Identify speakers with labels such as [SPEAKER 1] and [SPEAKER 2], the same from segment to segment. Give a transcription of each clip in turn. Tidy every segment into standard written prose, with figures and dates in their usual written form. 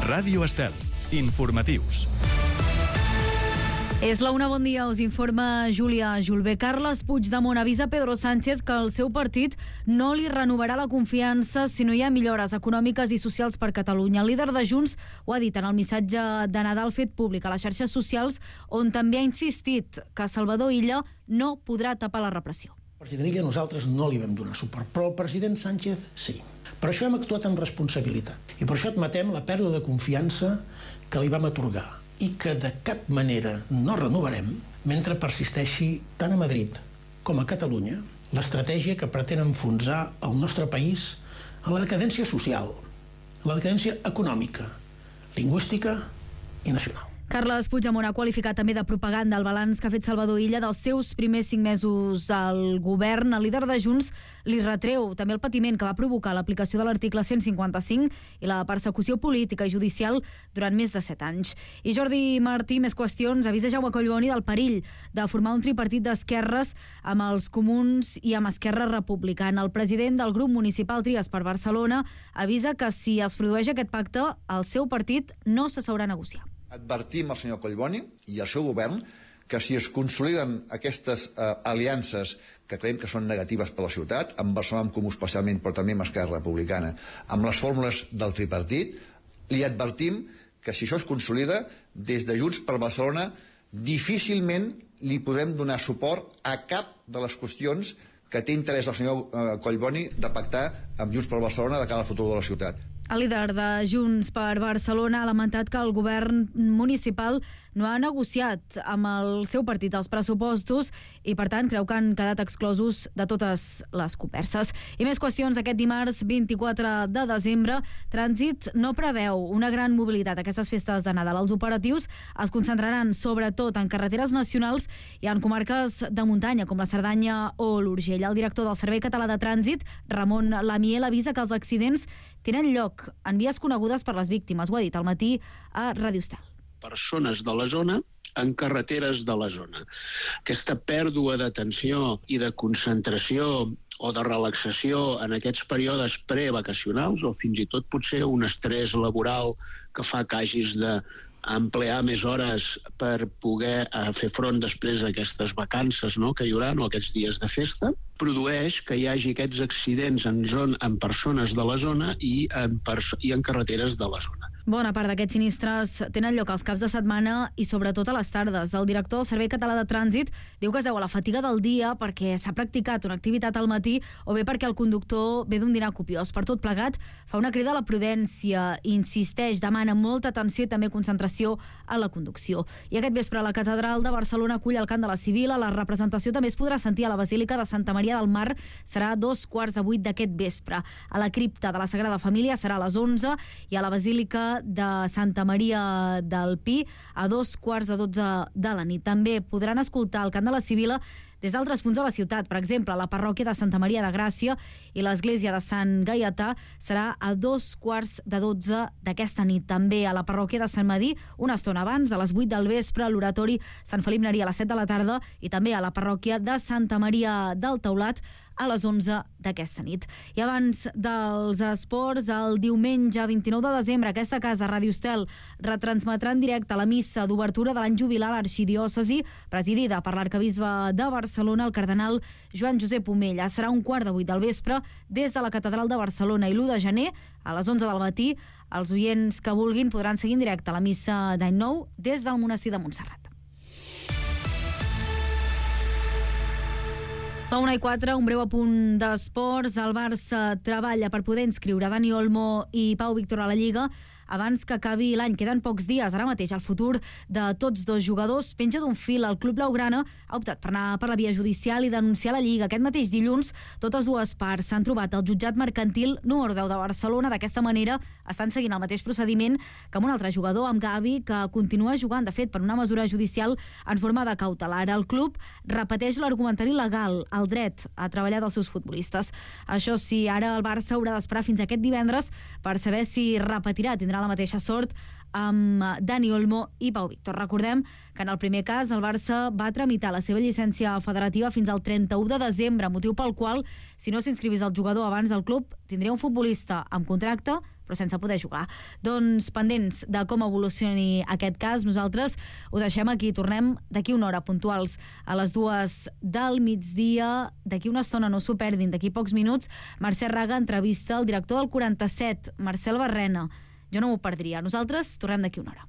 [SPEAKER 1] Ràdio Estel. Informatius.
[SPEAKER 2] És la una, bon dia, us informa Júlia Julbé. Carles Puigdemont avisa Pedro Sánchez que el seu partit no li renovarà la confiança si no hi ha millores econòmiques i socials per Catalunya. El líder de Junts ho ha dit en el missatge de Nadal fet públic a les xarxes socials, on també ha insistit que Salvador Illa no podrà tapar la repressió.
[SPEAKER 3] El president Illa nosaltres no li vam donar suport, però el president Sánchez sí. Per això hem actuat amb responsabilitat i per això admetem la pèrdua de confiança que li vam atorgar i que de cap manera no renovarem mentre persisteixi tant a Madrid com a Catalunya l'estratègia que pretén enfonsar el nostre país en la decadència social, en la decadència econòmica, lingüística i nacional.
[SPEAKER 2] Carles Puigdemont ha qualificat també de propaganda el balanç que ha fet Salvador Illa dels seus primers 5 mesos al govern. El líder de Junts li retreu també el patiment que va provocar l'aplicació de l'article 155 i la persecució política i judicial durant més de 7 anys. I Jordi Martí, més qüestions, avisa Jaume Collboni del perill de formar un tripartit d'esquerres amb els comuns i amb Esquerra Republicana. El president del grup municipal Tries per Barcelona avisa que si es produeix aquest pacte, el seu partit no s'asseurà a negociar.
[SPEAKER 4] Advertim al senyor Collboni i al seu govern que si es consoliden aquestes aliances que creiem que són negatives per a la ciutat, amb Barcelona en Comú especialment, però també amb Esquerra Republicana, amb les fórmules del tripartit, li advertim que si això es consolida, des de Junts per Barcelona difícilment li podrem donar suport a cap de les qüestions que té interès el senyor Collboni de pactar amb Junts per Barcelona de cara al futur de la ciutat.
[SPEAKER 2] El líder de Junts per Barcelona ha lamentat que el govern municipal no ha negociat amb el seu partit els pressupostos i, per tant, creu que han quedat exclosos de totes les converses. I més qüestions. Aquest dimarts 24 de desembre, Trànsit no preveu una gran mobilitat aquestes festes de Nadal. Els operatius es concentraran sobretot en carreteres nacionals i en comarques de muntanya, com la Cerdanya o l'Urgell. El director del Servei Català de Trànsit, Ramon Lamiel, avisa que els accidents tenen lloc en vies conegudes per les víctimes. Ho ha dit al matí a Ràdio Estel.
[SPEAKER 5] Persones de la zona en carreteres de la zona. Aquesta pèrdua d'atenció i de concentració o de relaxació en aquests períodes prevacacionals o fins i tot potser un estrès laboral que fa que hagis de emplear més hores per poder fer front després a aquestes vacances, no?, que hi haurà, o aquests dies de festa, produeix que hi hagi aquests accidents en persones de la zona i en carreteres de la zona.
[SPEAKER 2] Bona part d'aquests sinistres tenen lloc als caps de setmana i sobretot a les tardes. El director del Servei Català de Trànsit diu que es deu a la fatiga del dia perquè s'ha practicat una activitat al matí o bé perquè el conductor ve d'un dinar copiós. Per tot plegat, fa una crida a la prudència, insisteix, demana molta atenció i també concentració a la conducció. I aquest vespre la Catedral de Barcelona acull el cant de la Sibil·la. La representació també es podrà sentir a la Basílica de Santa Maria del Mar. Serà a 7:15 d'aquest vespre. A la cripta de la Sagrada Família serà a les 11 i a la Basílica de Santa Maria del Pi a 11:15 de la nit. També podran escoltar el cant de la Sibil·la des d'altres punts de la ciutat. Per exemple, la parròquia de Santa Maria de Gràcia i l'església de Sant Gaietà serà a 11:15 d'aquesta nit. També a la parròquia de Sant Madí, una estona abans, a les 8 del vespre, a l'oratori Sant Felip Neri a les 7 de la tarda i també a la parròquia de Santa Maria del Taulat a les 11 d'aquesta nit. I abans dels esports, el diumenge 29 de desembre, aquesta casa, Ràdio Estel, retransmetrà en directe la missa d'obertura de l'any jubilar a l'arxidiòcesi, presidida per l'arcabisbe de Barcelona, el cardenal Joan Josep Omella. Serà 7:15 del vespre des de la Catedral de Barcelona i l'1 de gener, a les 11 del matí, els oients que vulguin podran seguir en directe la missa d'any nou des del monestir de Montserrat. La 1:04, un breu apunt d'esports. El Barça treballa per poder inscriure Dani Olmo i Pau Víctor a la Lliga abans que acabi l'any. Queden pocs dies. Ara mateix el futur de tots dos jugadors penja d'un fil. El club blaugrana ha optat per anar per la via judicial i denunciar la Lliga. Aquest mateix dilluns, totes dues parts s'han trobat al jutjat mercantil número 10 de Barcelona. D'aquesta manera estan seguint el mateix procediment que amb un altre jugador, amb Gavi, que continua jugant, de fet, per una mesura judicial en forma de cautelar. El club repeteix l'argumentari legal, el dret a treballar dels seus futbolistes. Això sí, ara el Barça haurà d'esperar fins aquest divendres per saber si repetirà, tindrà la mateixa sort amb Dani Olmo i Pau Víctor. Recordem que en el primer cas el Barça va tramitar la seva llicència federativa fins al 31 de desembre, motiu pel qual, si no s'inscrivís el jugador abans del club, tindria un futbolista amb contracte però sense poder jugar. Doncs pendents de com evolucioni aquest cas, nosaltres ho deixem aquí. Tornem d'aquí una hora puntuals a les 2 del migdia. D'aquí una estona, no s'ho perdin, d'aquí pocs minuts, Mercè Raga entrevista el director del 47, Marcel Barrena. Jo no m'ho perdria. Nosaltres tornem d'aquí una hora.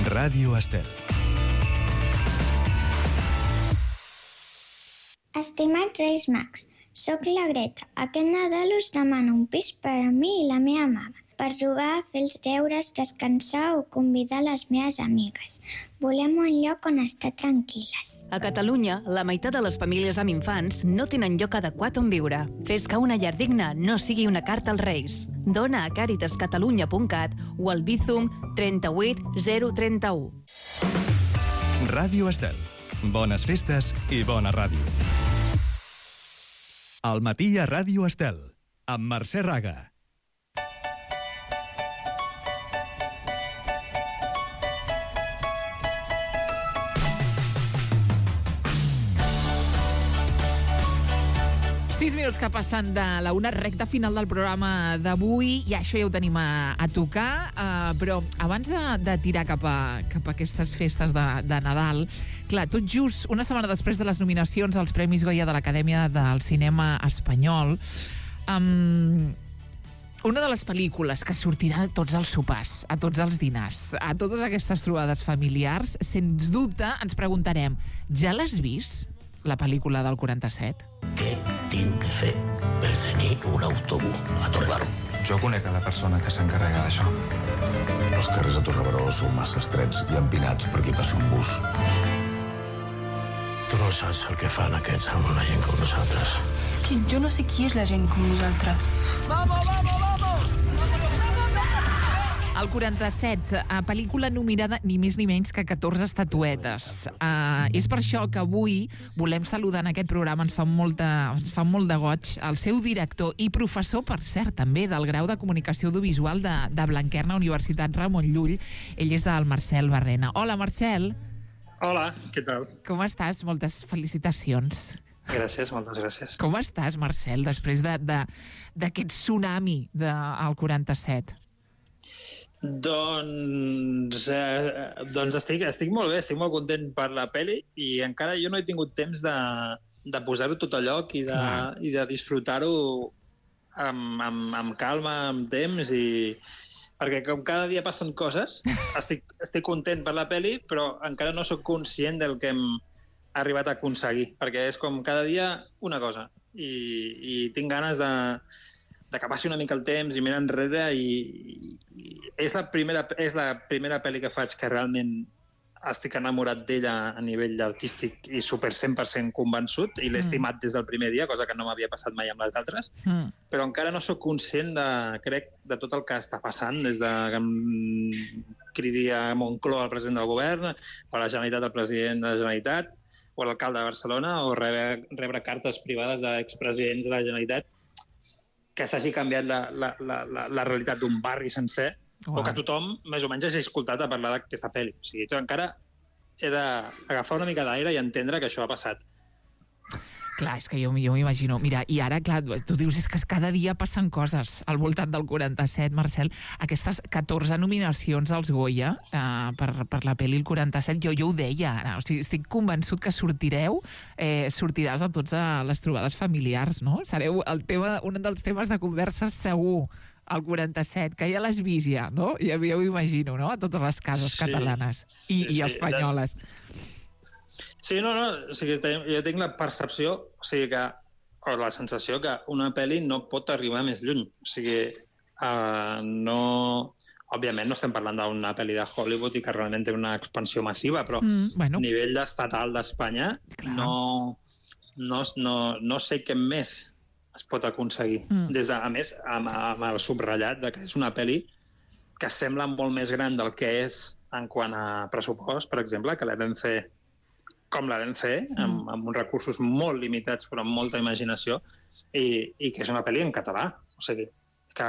[SPEAKER 1] Ràdio Estel.
[SPEAKER 6] Estimats Reis Mags, soc la Greta. Aquest Nadal us demano un pis per a mi i la meva mama, per jugar, fer els deures, descansar o convidar les meves amigues. Volem un lloc on estar tranquil·les.
[SPEAKER 7] A Catalunya, la meitat de les famílies amb infants no tenen lloc adequat on viure. Fes que una llar digna no sigui una carta als Reis. Dona a caritascatalunya.cat o al Bizum 38 031.
[SPEAKER 1] Ràdio Estel. Bones festes i bona ràdio. Al matí a Ràdio Estel, amb Mercè Raga.
[SPEAKER 8] Sis minuts que passen de la una, recta final del programa d'avui, i això ja ho tenim a tocar, però abans de tirar cap a aquestes festes de Nadal, clar, tot just una setmana després de les nominacions als Premis Goya de l'Acadèmia del Cinema Espanyol, una de les pel·lícules que sortirà a tots els sopars, a tots els dinars, a totes aquestes trobades familiars, sens dubte ens preguntarem, ja l'has vist, la pel·lícula del 47?
[SPEAKER 9] Què tinc que fer per tenir un autobús a Torrebaró?
[SPEAKER 10] Jo conec a la persona que s'encarrega d'això.
[SPEAKER 9] Els carrers a Torrebaró són massa estrets i empinats per aquí passi un bus. Tu no saps el que fan aquests amb una gent com nosaltres.
[SPEAKER 11] És que jo no sé qui és la gent com nosaltres.
[SPEAKER 8] Vamos, vamos, vamos! El 47, pel·lícula nominada ni més ni menys que 14 estatuetes. És per això que avui volem saludar en aquest programa, ens fa molt de goig, el seu director i professor, per cert, també del grau de Comunicació Audiovisual de Blanquerna, Universitat Ramon Llull. Ell és el Marcel Barrena. Hola, Marcel.
[SPEAKER 12] Hola, què tal?
[SPEAKER 8] Com estàs? Moltes felicitacions.
[SPEAKER 12] Gràcies, moltes gràcies.
[SPEAKER 8] Com estàs, Marcel, després d'aquest tsunami del 47?
[SPEAKER 12] Doncs estic molt bé, estic molt content per la pel·li i encara jo no he tingut temps de posar-ho tot a lloc i de disfrutar-ho amb calma, amb temps, perquè com cada dia passen coses, estic content per la pel·li, però encara no sóc conscient del que hem arribat a aconseguir, perquè és com cada dia una cosa i tinc ganes de que passi una mica el temps i mirar enrere i és la primera pel·li que faig que realment estic enamorat d'ella a nivell artístic i super 100% convençut i l'he estimat des del primer dia, cosa que no m'havia passat mai amb les altres, però encara no sóc conscient crec, de tot el que està passant des de que em cridi a Moncloa el president del govern, o a la Generalitat el president de la Generalitat, o a l'alcalde de Barcelona, o rebre cartes privades d'expresidents de la Generalitat que s'hagi canviat la realitat d'un barri sencer, o que tothom més o menys hagi escoltat a parlar d'aquesta pel·li. O sigui, encara he d'agafar una mica d'aire i entendre que això ha passat.
[SPEAKER 8] Clar, és que jo m'imagino. Mira, i ara, clar, tu dius és que cada dia passen coses al voltant del 47, Marcel. Aquestes 14 nominacions als Goya per la pel·li el 47, jo ho deia ara. O sigui, estic convençut que sortiràs a tots a les trobades familiars, no? Sereu un dels temes de converses segur, el 47, que ja l'has vist ja, no? Ja ho imagino, no? A totes les cases catalanes i espanyoles.
[SPEAKER 12] Sí, no, o sigui, jo tinc la percepció, o la sensació que una pel·li no pot arribar més lluny. O sigui, òbviament no estem parlant d'una pel·li de Hollywood i que realment té una expansió massiva, però a nivell estatal d'Espanya no sé què més es pot aconseguir. A més, amb el subratllat de que és una pel·li que sembla molt més gran del que és en quant a pressupost, per exemple, que la vam fer com la vam fer, amb uns recursos molt limitats però amb molta imaginació, i que és una pel·li en català. O sigui, que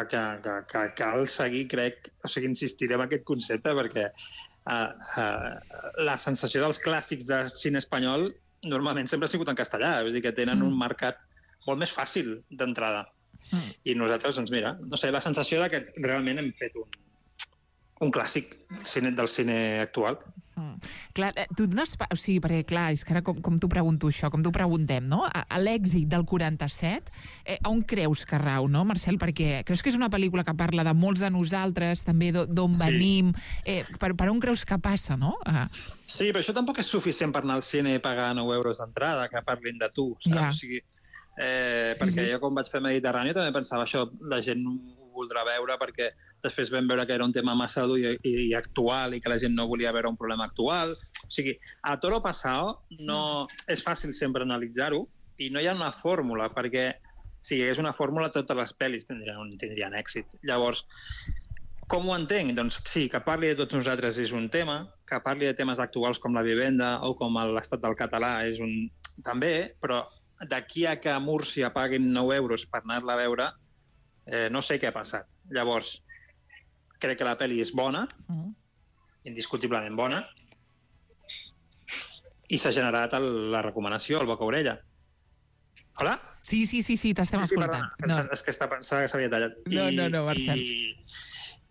[SPEAKER 12] cal seguir, crec, o sigui, insistiré en aquest concepte perquè la sensació dels clàssics de cine espanyol normalment sempre ha sigut en castellà, vull dir que tenen un mercat molt més fàcil d'entrada. I nosaltres, doncs mira, no sé, la sensació de que realment hem fet un clàssic del cine actual.
[SPEAKER 8] Clar, tu dones... O sigui, perquè clar, és que ara com t'ho pregunto això, com t'ho preguntem, no? A l'èxit del 47, on creus que rau, no, Marcel? Perquè creus que és una pel·lícula que parla de molts de nosaltres, també d'on venim, per on creus que passa, no?
[SPEAKER 12] Sí, però això tampoc és suficient per anar al cine i pagar 9 euros d'entrada, que parlin de tu, saps? O sigui, perquè jo quan vaig fer Mediterrani també pensava això, la gent ho voldrà veure perquè després vam veure que era un tema massa dur i actual i que la gent no volia veure un problema actual. O sigui, a toro passado no és fàcil sempre analitzar-ho i no hi ha una fórmula, perquè si hi hagués una fórmula totes les pel·lis tindrien èxit. Llavors, com ho entenc? Doncs sí, que parli de tots nosaltres és un tema, que parli de temes actuals com la vivenda o com l'estat del català és un també, però d'aquí a que a Múrcia paguin 9 euros per anar-la a veure, no sé què ha passat. Llavors, crec que la pel·li és bona, indiscutiblement bona, i s'ha generat la recomanació, el boca-orella. Hola?
[SPEAKER 8] Sí, t'estem escoltant.
[SPEAKER 12] És que s'havia tallat.
[SPEAKER 8] No, Marcel.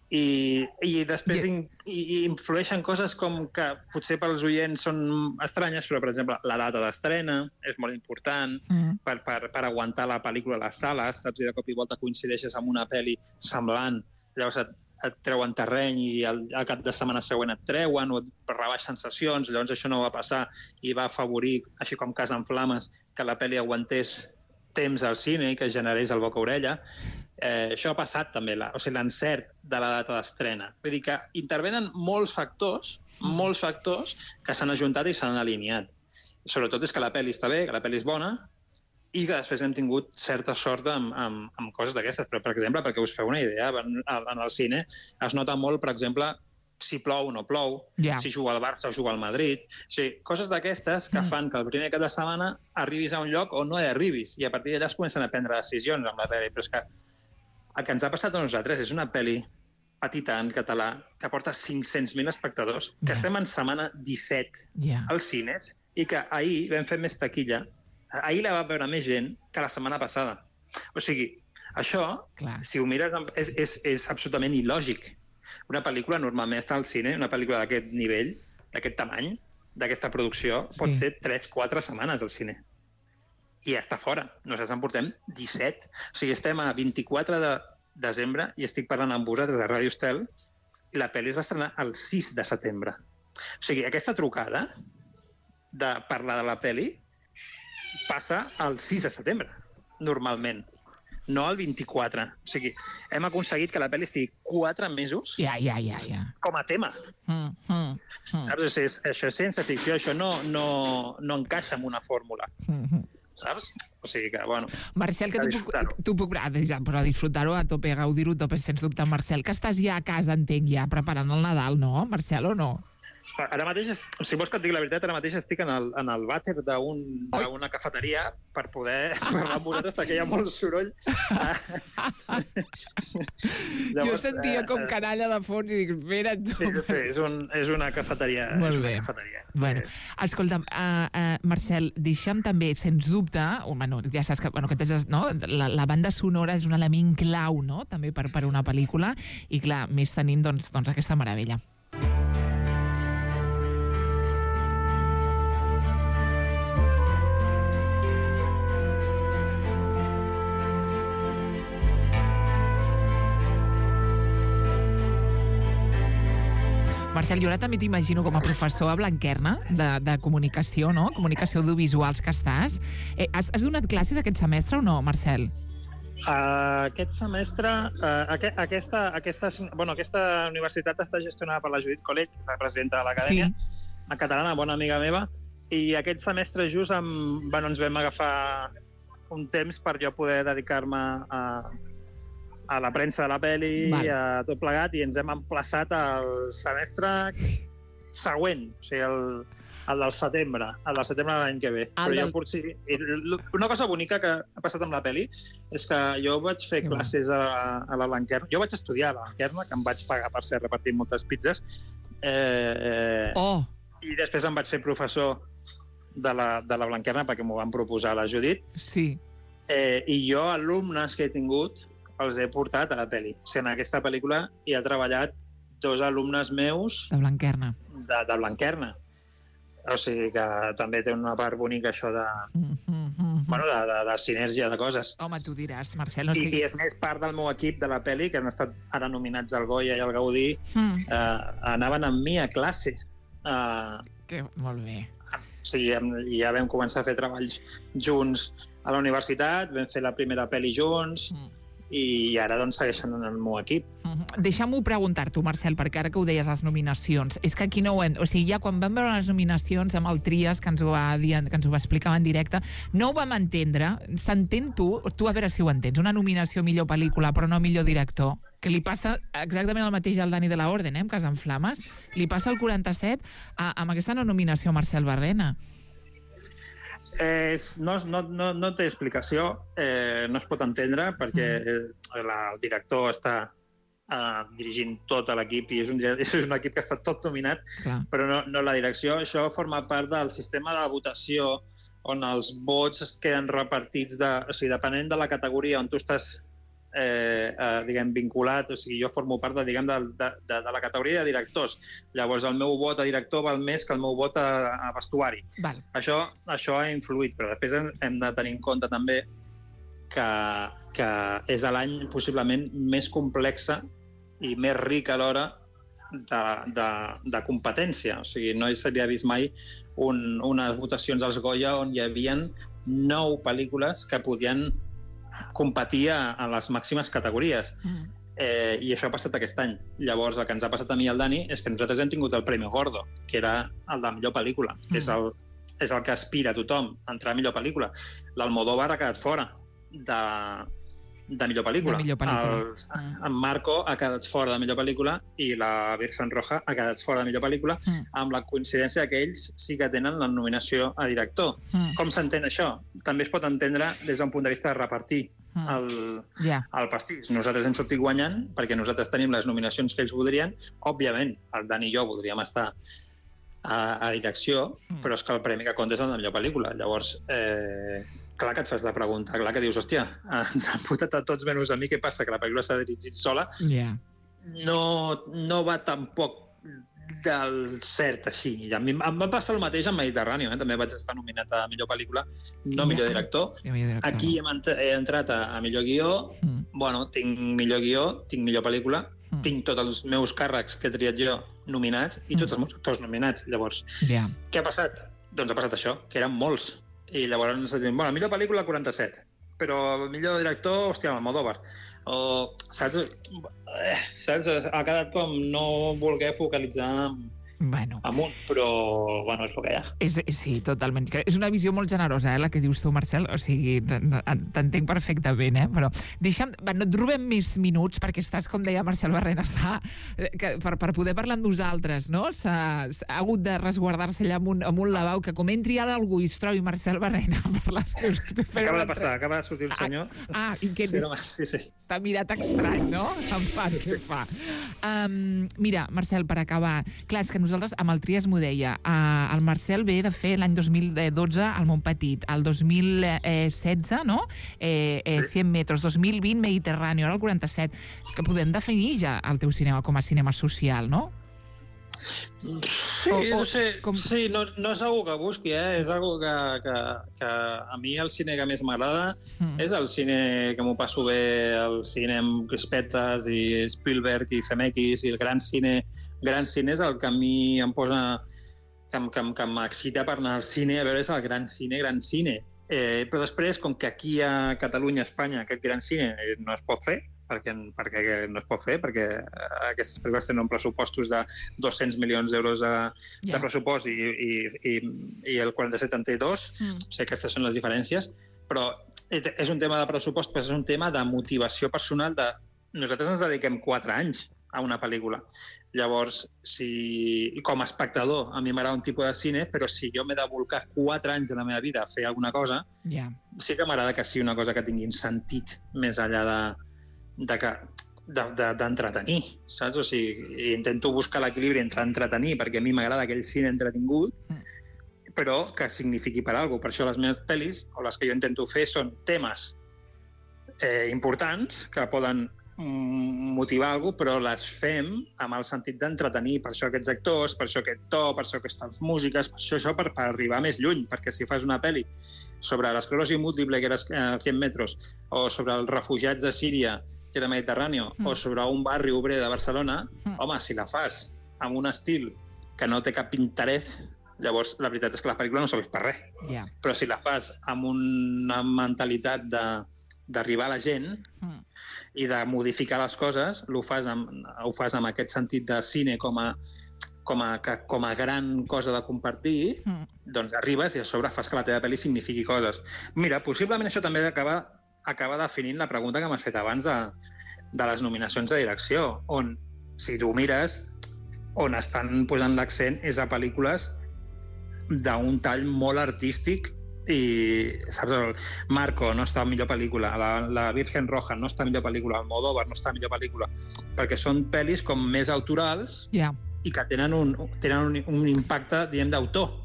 [SPEAKER 12] I després influeixen coses com que potser pels oients són estranyes, però, per exemple, la data d'estrena és molt important per aguantar la pel·lícula a les sales, saps? I de cop i volta coincideixes amb una pel·li semblant, llavors et treuen terreny i al cap de setmana següent et treuen o et rebaixen sessions, llavors això no va passar i va afavorir, així com Casa en Flames, que la pel·li aguantés temps al cine i que generés el boca-orella. Això ha passat també, l'encert de la data d'estrena. Vull dir que intervenen molts factors que s'han ajuntat i s'han alineat. Sobretot és que la pel·li està bé, que la pel·li és bona, i que després hem tingut certa sort amb coses d'aquestes. Però, per exemple, perquè us feu una idea, en el cine es nota molt, per exemple, si plou o no plou, si juga el Barça o juga el Madrid. O sigui, coses d'aquestes que fan que el primer cap de setmana arribis a un lloc o no hi arribis, i a partir d'allà es comencen a prendre decisions amb la pel·li. Però és que el que ens ha passat a nosaltres és una pel·li petita en català que porta 500.000 espectadors, que estem en setmana 17 als cines i que ahir vam fer més taquilla. Ahir la va veure més gent que la setmana passada. O sigui, això, si ho mires, és absolutament il·lògic. Una pel·lícula normalment està al cine, una pel·lícula d'aquest nivell, d'aquest tamany, d'aquesta producció, pot ser 3-4 setmanes al cine. I ja està fora. Nosaltres en portem 17. O sigui, estem a 24 de desembre i estic parlant amb vosaltres de Ràdio Estel i la pel·li es va estrenar el 6 de setembre. O sigui, aquesta trucada de parlar de la pel·li passa el 6 de setembre, normalment, no el 24. O sigui, hem aconseguit que la pel·li estigui 4 mesos com a tema. Saps? Això és ciència ficció, això no encaixa en una fórmula. Saps? O sigui que, bueno...
[SPEAKER 8] Marcel, que tu puc... Però disfrutar-ho a tope, gaudir-ho a tope, sens dubte. Marcel, que estàs ja a casa, entenc, ja preparant el Nadal, no? Marcel, o no?
[SPEAKER 12] Ara mateix, si vols que et digui la veritat, ara mateix estic en el vàter d'una cafeteria per poder parlar amb vosaltres perquè hi ha molt soroll.
[SPEAKER 8] Jo sentia com canalla de fons i dic, espera't tu.
[SPEAKER 12] Sí, és una cafeteria.
[SPEAKER 8] Molt bé. Bueno, escolta'm, Marcel, deixa'm també, sens dubte, ja saps que la banda sonora és un element clau, no?, també per una pel·lícula, i clar, més tenim doncs aquesta meravella. Marcel, jo ara també t'imagino com a professor a Blanquerna de comunicació, no? Comunicació audiovisuals que estàs. Has donat classes aquest semestre o no, Marcel?
[SPEAKER 12] Aquest semestre, aquesta universitat està gestionada per la Judit Collet, la presidenta de l'acadèmia, una catalana, bona amiga meva, i aquest semestre just ens vam agafar un temps per jo poder dedicar-me a la premsa de la pel·li, a tot plegat, i ens hem emplaçat al semestre següent, o sigui, el del setembre de l'any que ve. Una cosa bonica que ha passat amb la pel·li és que jo vaig fer classes a la Blanquerna. Jo vaig estudiar a la Blanquerna, que em vaig pagar per ser repartint moltes pizzas, i després em vaig fer professor de la Blanquerna perquè m'ho van proposar a la Judit.
[SPEAKER 8] Sí.
[SPEAKER 12] I jo, alumnes que he tingut, els he portat a la pel·li. O sigui, en aquesta pel·lícula hi ha treballat 2 alumnes meus
[SPEAKER 8] de Blanquerna.
[SPEAKER 12] De Blanquerna. O sigui que també té una part bonica això de sinergia de coses.
[SPEAKER 8] Home, tu diràs, Marcel.
[SPEAKER 12] I és més, part del meu equip de la pel·li, que han estat ara nominats al Goya i al Gaudí, anaven amb mi a classe.
[SPEAKER 8] Molt bé.
[SPEAKER 12] O sigui, ja vam començar a fer treballs junts a la universitat, vam fer la primera pel·li junts, i ara doncs segueixen en el meu equip.
[SPEAKER 8] Deixa'm-ho preguntar-t'ho, Marcel, perquè ara que ho deies, les nominacions, és que aquí no ho hem... O sigui, ja quan vam veure les nominacions amb el Trias, que ens ho va explicar en directe, no ho vam entendre. S'entén tu a veure si ho entens, una nominació millor pel·lícula, però no millor director, que li passa exactament el mateix al Dani de la Orden, amb Cas en Flames, li passa el 47 amb aquesta nominació a Marcel Barrena.
[SPEAKER 12] No té explicació, no es pot entendre, perquè el director està dirigint tot l'equip i és un equip que està tot dominat, però no la direcció. Això forma part del sistema de votació on els vots es queden repartits, o sigui, depenent de la categoria on tu estàs vinculat. O sigui, jo formo part de la categoria de directors. Llavors el meu vot a director val més que el meu vot a vestuari. Això ha influït, però després hem de tenir en compte també que és l'any possiblement més complexa i més ric alhora de competència. O sigui, no s'havia vist mai unes votacions als Goya on hi havia 9 pel·lícules que podien competir a les màximes categories. I això ha passat aquest any. Llavors, el que ens ha passat a mi i al Dani és que nosaltres hem tingut el Premi Gordo, que era el de millor pel·lícula, que és el que aspira a tothom a entrar a millor pel·lícula. L'Almodóvar ha quedat fora de millor pel·lícula. En Marco ha quedat fora de millor pel·lícula i la Virgen Roja ha quedat fora de millor pel·lícula, amb la coincidència que ells sí que tenen la nominació a director. Com s'entén això? També es pot entendre des d'un punt de vista de repartir el pastís. Nosaltres hem sortit guanyant perquè nosaltres tenim les nominacions que ells voldrien. Òbviament, el Dani i jo voldríem estar a direcció, però és que el premi que compta és el de millor pel·lícula. Llavors, clar que et fas la pregunta, clar que dius, hòstia, ens han votat a tots menys a mi, què passa? Que la pel·lícula s'ha dirigit sola. No va tampoc del cert així. A mi em va passar el mateix amb Mediterrani, també vaig estar nominat a millor pel·lícula, no millor director. Aquí he entrat a millor guió, tinc millor guió, tinc millor pel·lícula, tinc tots els meus càrrecs que he triat jo nominats i tots els meus actors nominats. Llavors, què ha passat? Doncs ha passat això, que eren molts. I llavors ens diuen, millor pel·lícula 47, però millor director, hòstia, Almodóvar. Saps? Ha quedat com no voler focalitzar amunt, però és el que hi ha.
[SPEAKER 8] Sí, totalment. És una visió molt generosa, la que dius tu, Marcel. O sigui, t'entenc perfectament, però deixa'm... No et robem més minuts, perquè estàs, com deia Marcel Barrena, per poder parlar amb nosaltres, no? Ha hagut de resguardar-se allà amb un lavabo, que com entri ara algú i es trobi Marcel Barrena a parlar...
[SPEAKER 12] Acaba de passar, acaba de sortir el senyor.
[SPEAKER 8] I què? T'ha mirat estrany, no? Què fa? Mira, Marcel, per acabar, clar, és que nosaltres amb el Trias m'ho deia, el Marcel ve de fer l'any 2012 al Montpetit, el 2016, no? 100 metres, 2020 Mediterrani, ara el 47, que podem definir ja el teu cinema com a cinema social, no?
[SPEAKER 12] Sí, no és algo que busqui, és algo que a mi el cine que més m'agrada és el cine que m'ho passo bé, el cine amb crispetes i Spielberg i Zemeckis, i el gran cine és el que a mi em posa, que m'excita per anar al cine, a veure, és el gran cine. Però després, com que aquí a Catalunya, a Espanya, aquest gran cine no es pot fer, perquè no es pot fer, perquè aquestes pel·lícules tenen pressupostos de 200 milions d'euros de pressupost i el 47 en té 2, o sigui, aquestes són les diferències, però és un tema de pressupost, però és un tema de motivació personal. Nosaltres ens dediquem 4 anys a una pel·lícula. Llavors, com a espectador, a mi m'agrada un tipus de cine, però si jo m'he de volcar 4 anys de la meva vida a fer alguna cosa, sí que m'agrada que sigui una cosa que tingui un sentit més enllà d'entretenir, saps? O sigui, intento buscar l'equilibri entre entretenir, perquè a mi m'agrada aquell cine entretingut, però que signifiqui per alguna cosa. Per això les meves pel·lis, o les que jo intento fer, són temes importants que poden motivar alguna cosa, però les fem amb el sentit d'entretenir. Per això aquests actors, per això aquest to, per això aquestes músiques, per això per arribar més lluny, perquè si fas una pel·li sobre l'esclerosi múltiple, que era 100 metres, o sobre els refugiats de Síria, que era Mediterrani, o sobre un barri obrer de Barcelona, home, si la fas amb un estil que no té cap interès, llavors la veritat és que la pel·lícula no serveix per res. Però si la fas amb una mentalitat d'arribar a la gent i de modificar les coses, ho fas amb aquest sentit de cine com a gran cosa de compartir, doncs arribes i a sobre fas que la teva pel·li signifiqui coses. Mira, possiblement això també acaba definint la pregunta que m'has fet abans de les nominacions de direcció, on, si tu mires, on estan posant l'accent és a pel·lícules d'un tall molt artístic i, saps, el Marco no està a millor pel·lícula, la Virgen Roja no està a millor pel·lícula, Almodóvar no està a millor pel·lícula, perquè són pel·lis com més autorals i que tenen un impacte, diguem, d'autor.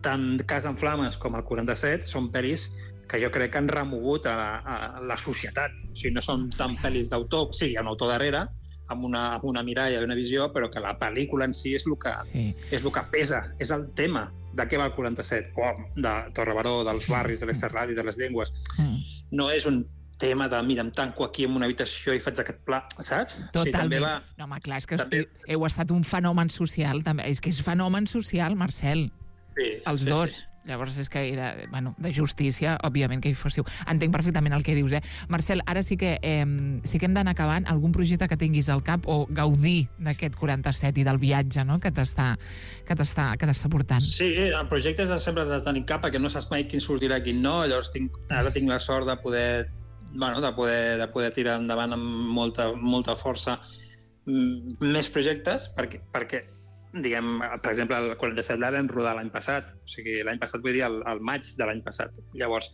[SPEAKER 12] Tant Casa en Flames com el 47 són pel·lis que jo crec que han remogut a la societat. O sigui, no són tan pel·lis d'autor, sí, hi ha un autor darrere, amb una miralla i una visió, però que la pel·lícula en si és el que pesa, és el tema. De què va el 47? De Torrebaró, dels barris, de l'Esterradi, de les llengües. No és un tema de, mira, em tanco aquí en una habitació i faig aquest pla, saps?
[SPEAKER 8] Totalment. No, home, clar, és que heu estat un fenomen social, també. És que és fenomen social, Marcel.
[SPEAKER 12] Sí.
[SPEAKER 8] Els dos. Llavors és que era, de justícia, òbviament que hi fóssiu. Entenc perfectament el que dius, Marcel, ara sí que hem d'anar acabant. Algun projecte que tinguis al cap o gaudir d'aquest 47 i del viatge, no?, que t'està portant.
[SPEAKER 12] Sí, el projecte sempre has de tenir cap, perquè no saps mai quin sortirà i quin no. Llavors ara tinc la sort de poder tirar endavant amb molta força més projectes, perquè diguem, per exemple, el 47 l'ha vam rodar l'any passat, o sigui, l'any passat vull dir el maig de l'any passat. Llavors,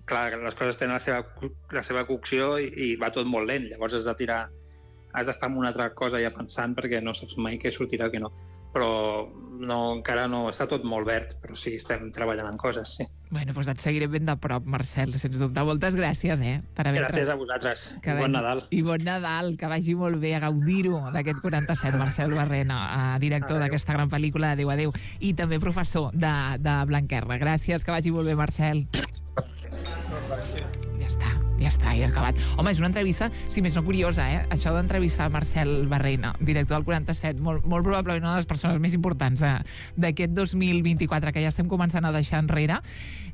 [SPEAKER 12] clar, les coses tenen la seva cocció i va tot molt lent, llavors has d'estar en una altra cosa ja pensant perquè no saps mai què sortirà o què no. Però encara no, està tot molt verd, però sí, estem treballant en coses, sí.
[SPEAKER 8] Bueno, doncs et seguiré ben de prop, Marcel, sens dubte. Moltes gràcies,
[SPEAKER 12] Gràcies a vosaltres. Bon Nadal.
[SPEAKER 8] I bon Nadal, que vagi molt bé, a gaudir-ho d'aquest 47, Marcel Barrena, director d'aquesta gran pel·lícula Adéu, adéu, i també professor de Blanquerna. Gràcies, que vagi molt bé, Marcel. Ja està, ja ha acabat. Home, és una entrevista, si més no curiosa, això d'entrevistar Marcel Barrena, director del 47, molt probablement una de les persones més importants d'aquest 2024 que ja estem començant a deixar enrere,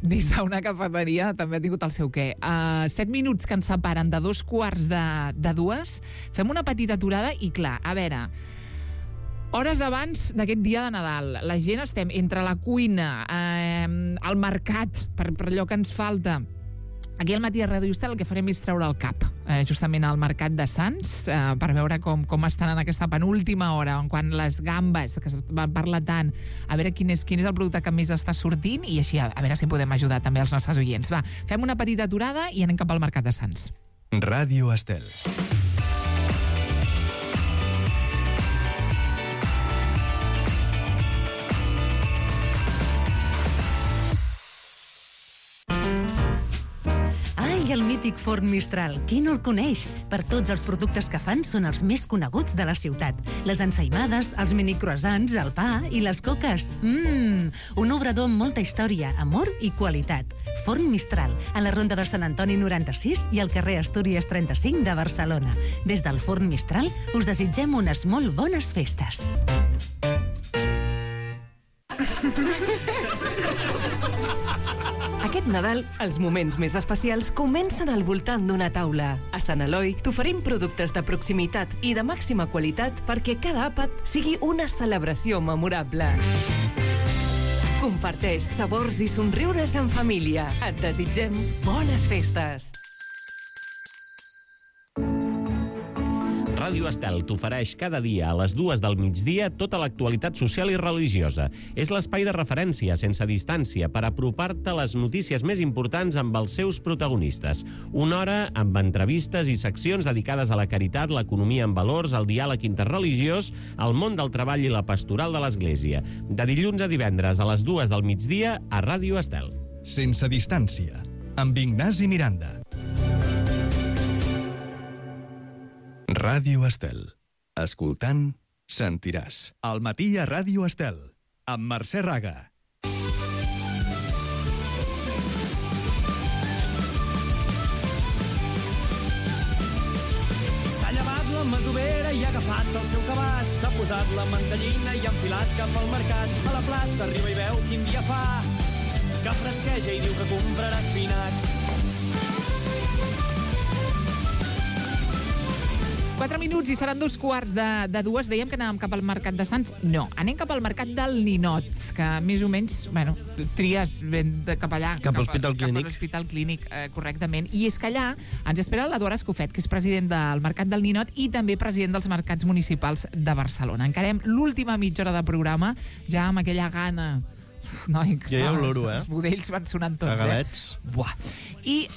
[SPEAKER 8] dins d'una cafeteria, també ha tingut el seu què. 7 minuts que ens separen de 2:45, fem una petita aturada i, clar, a veure, hores abans d'aquest dia de Nadal, la gent estem entre la cuina, al mercat, per allò que ens falta. Aquí al Matí a Ràdio Estel el que farem és treure el cap justament al mercat de Sants per veure com estan en aquesta penúltima hora, quan les gambes, que es van parlar tant, a veure quin és el producte que més està sortint i així a veure si podem ajudar també els nostres oients. Va, fem una petita aturada i anem cap al mercat de Sants.
[SPEAKER 1] Ràdio Estel.
[SPEAKER 13] I el mític forn Mistral. Qui no el coneix? Per tots els productes que fan són els més coneguts de la ciutat. Les ensaïmades, els mini croissants, el pa i les coques. Un obrador amb molta història, amor i qualitat. Forn Mistral, a la Ronda de Sant Antoni 96 i al carrer Astúries 35 de Barcelona. Des del Forn Mistral us desitgem unes molt bones festes.
[SPEAKER 14] Aquest Nadal, els moments més especials comencen al voltant d'una taula. A Sant Eloi t'oferim productes de proximitat i de màxima qualitat perquè cada àpat sigui una celebració memorable. Comparteix sabors i somriures en família. Et desitgem bones festes.
[SPEAKER 15] Ràdio Estel t'ofereix cada dia a les 2 del migdia tota l'actualitat social i religiosa. És l'espai de referència sense distància per apropar-te a les notícies més importants amb els seus protagonistes. Una hora amb entrevistes i seccions dedicades a la caritat, l'economia en valors, el diàleg interreligiós, el món del treball i la pastoral de l'Església. De dilluns a divendres a les 2 del migdia a Ràdio Estel.
[SPEAKER 1] Sense distància, amb Ignasi Miranda. Ràdio Estel. Escoltant, sentiràs. Al matí a Ràdio Estel, amb Mercè Raga.
[SPEAKER 16] S'ha llevat la masovera i ha agafat el seu cabàs. S'ha posat la mantellina i ha enfilat cap al mercat. A la plaça arriba i veu quin dia fa, que fresqueja i diu que comprarà espinacs.
[SPEAKER 8] 4 minuts i seran 2 de 2. Dèiem que anàvem cap al Mercat de Sants. No, anem cap al Mercat del Ninot, que més o menys, bueno, tries ben cap allà.
[SPEAKER 17] Cap a l'Hospital Clínic.
[SPEAKER 8] Cap a l'Hospital Clínic, correctament. I és que allà ens espera l'Eduard Escofet, que és president del Mercat del Ninot i també president dels Mercats Municipals de Barcelona. Encarem l'última mitja hora de programa, ja amb aquella gana. Noi,
[SPEAKER 17] jo ja oloro,
[SPEAKER 8] Els budells van sonant tots,
[SPEAKER 17] Cagalets.
[SPEAKER 8] Buah. I,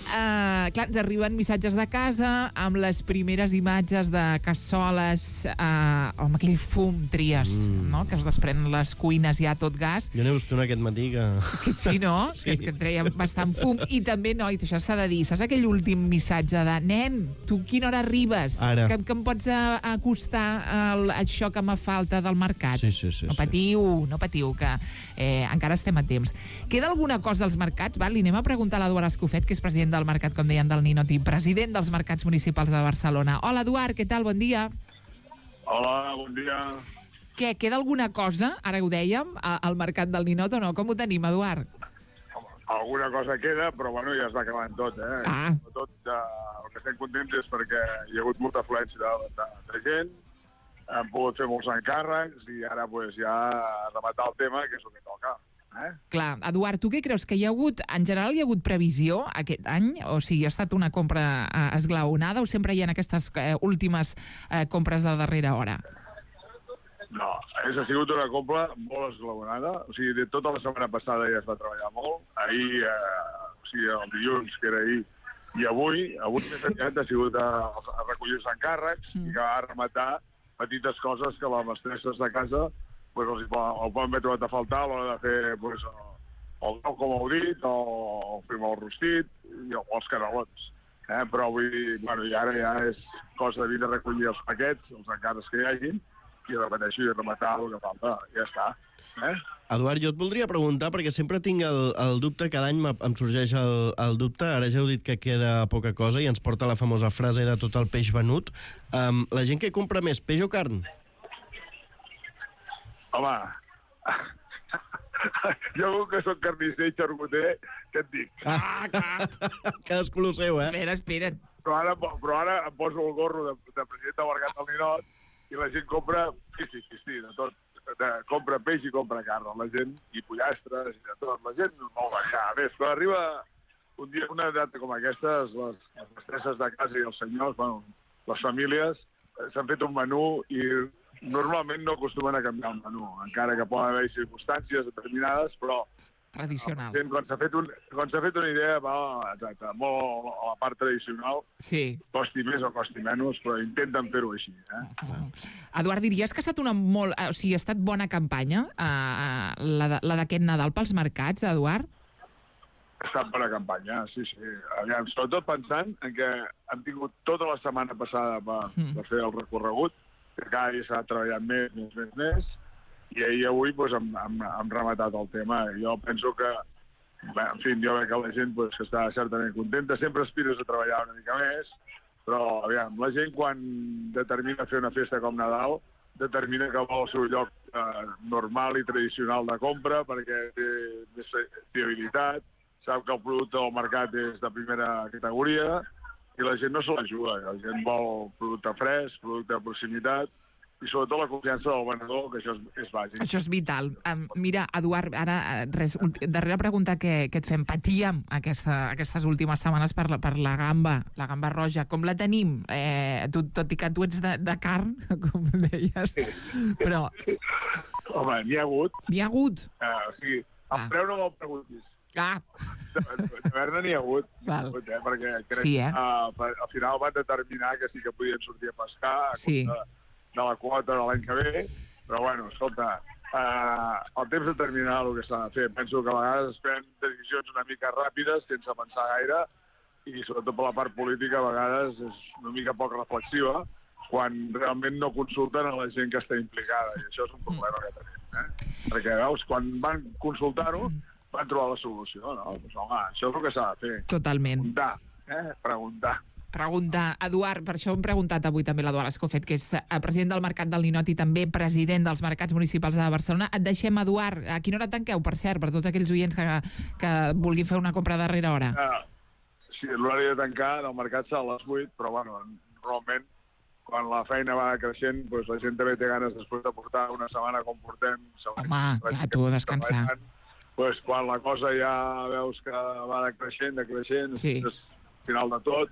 [SPEAKER 8] clar, ens arriben missatges de casa amb les primeres imatges de cassoles amb aquell fum tries, no?, que es desprenen les cuines ja tot gas.
[SPEAKER 17] Jo n'he vist una aquest matí que...
[SPEAKER 8] Sí, no? Sí. Que treia bastant fum. I també, noi, això s'ha de dir, saps aquell últim missatge de nen, tu quina hora arribes?
[SPEAKER 17] Ara.
[SPEAKER 8] Que em pots acostar això que me falta del mercat?
[SPEAKER 17] Sí.
[SPEAKER 8] No patiu, que encara estem a temps. Queda alguna cosa als mercats? Li anem a preguntar a l'Eduard Escofet, que és president del mercat, com deien, del Ninot i president dels mercats municipals de Barcelona. Hola, Eduard, què tal? Bon dia.
[SPEAKER 18] Hola, bon dia.
[SPEAKER 8] Què, queda alguna cosa, ara ho dèiem, al mercat del Ninot o no? Com ho tenim, Eduard?
[SPEAKER 18] Alguna cosa queda, però bueno, ja es va acabant tot, Tot, el que estem contents és perquè hi ha hagut molta afluència de gent, hem pogut fer molts encàrrecs i ara pues, ja rematar el tema, que és el que toca.
[SPEAKER 8] Clar, Eduard, tu què creus? Que hi ha hagut, en general hi ha hagut previsió aquest any? O sigui, ha estat una compra esglaonada o sempre hi ha aquestes últimes compres de darrera hora?
[SPEAKER 18] No, ha sigut una compra molt esglaonada. O sigui, de tota la setmana passada ja es va treballar molt. Ahir, o sigui, el dilluns, que era ahir, i avui més aviat ha sigut a recollir els encàrrecs i que va rematar petites coses que les mestresses de casa pues, el poden haver trobat a faltar a l'hora de fer pues, el nou, com heu dit, o fer el rostit o els canelons. Però avui, bueno, i ara ja és cosa de vir a recollir els paquets, els encàrrecs que hi hagin, i repeteixo i rematar el que falta. Ja està.
[SPEAKER 17] Eduard, jo et voldria preguntar, perquè sempre tinc el dubte, cada any em sorgeix el dubte, ara ja heu dit que queda poca cosa i ens porta la famosa frase de tot el peix venut. La gent que compra més, peix o carn?
[SPEAKER 18] Home, jo que soc carnisser i xarcuter, què et dic?
[SPEAKER 17] Cadascú el seu,
[SPEAKER 8] Espera't.
[SPEAKER 18] Però ara em poso el gorro de president del Mercat del Ninot i la gent compra, sí, de tot. Compra peix i compra carn, la gent, i pollastres, i de tot. La gent molt variada. A més, quan arriba un dia, una data com aquesta, les mestresses de casa i els senyors, bueno, les famílies, s'han fet un menú i normalment no acostumen a canviar el menú, encara que poden haver circumstàncies determinades, però
[SPEAKER 8] tradicional.
[SPEAKER 18] Quan s'ha fet una idea, va exacte, molt a la part tradicional, costi més o costi menys, però intenten fer-ho així.
[SPEAKER 8] Eduard, diries que ha estat ha estat bona campanya, la d'aquest Nadal pels mercats, Eduard?
[SPEAKER 18] Ha estat bona campanya, sí. Aviam, sobretot pensant en que hem tingut tota la setmana passada per fer el recorregut, que cada dia s'ha treballat més, i ahir avui hem rematat el tema. Jo penso que, en fi, jo veig que la gent que està certament contenta, sempre aspires a treballar una mica més, però, aviam, la gent quan determina fer una festa com Nadal, determina que vol el seu lloc normal i tradicional de compra, perquè té més fiabilitat, sap que el producte del mercat és de primera categoria, i la gent no se la juga. La gent vol producte fresc, producte de proximitat, i sobretot la confiança del venedor, que això és bàsic.
[SPEAKER 8] Això és vital. Mira, Eduard, ara, darrera pregunta que et fem. Patíem aquestes últimes setmanes per la gamba roja. Com la tenim? Tot i que tu ets de carn, com deies, però...
[SPEAKER 18] Home, n'hi ha hagut.
[SPEAKER 8] N'hi ha hagut?
[SPEAKER 18] O sigui, el preu no me'l preguntis. De Berna n'hi ha hagut, perquè crec que al final van determinar que sí que podien sortir a pescar de la quota de l'any que ve, però bueno, escolta, el temps determinarà el que s'ha de fer. Penso que a vegades es prenen decisions una mica ràpides, sense pensar gaire, i sobretot per la part política a vegades és una mica poc reflexiva, quan realment no consulten a la gent que està implicada, i això és un problema que tenim. Perquè, veus, quan van consultar-ho, van trobar la solució. No? Pues, home, això és el que s'ha de fer.
[SPEAKER 8] Totalment.
[SPEAKER 18] Preguntar.
[SPEAKER 8] Eduard, per això hem preguntat avui també l'Eduard Escofet, que és president del Mercat del Ninot i també president dels Mercats Municipals de Barcelona. Et deixem, Eduard. A quina hora tanqueu, per cert, per tots aquells oients que vulguin fer una compra a darrera hora?
[SPEAKER 18] Sí, l'horari de tancar del mercat serà a les 8, però bueno, normalment quan la feina va creixent, doncs la gent també té ganes després de portar una setmana com portem.
[SPEAKER 8] Home, clar, tu a descansar.
[SPEAKER 18] Doncs quan la cosa ja veus que va decreixent, és final de tot,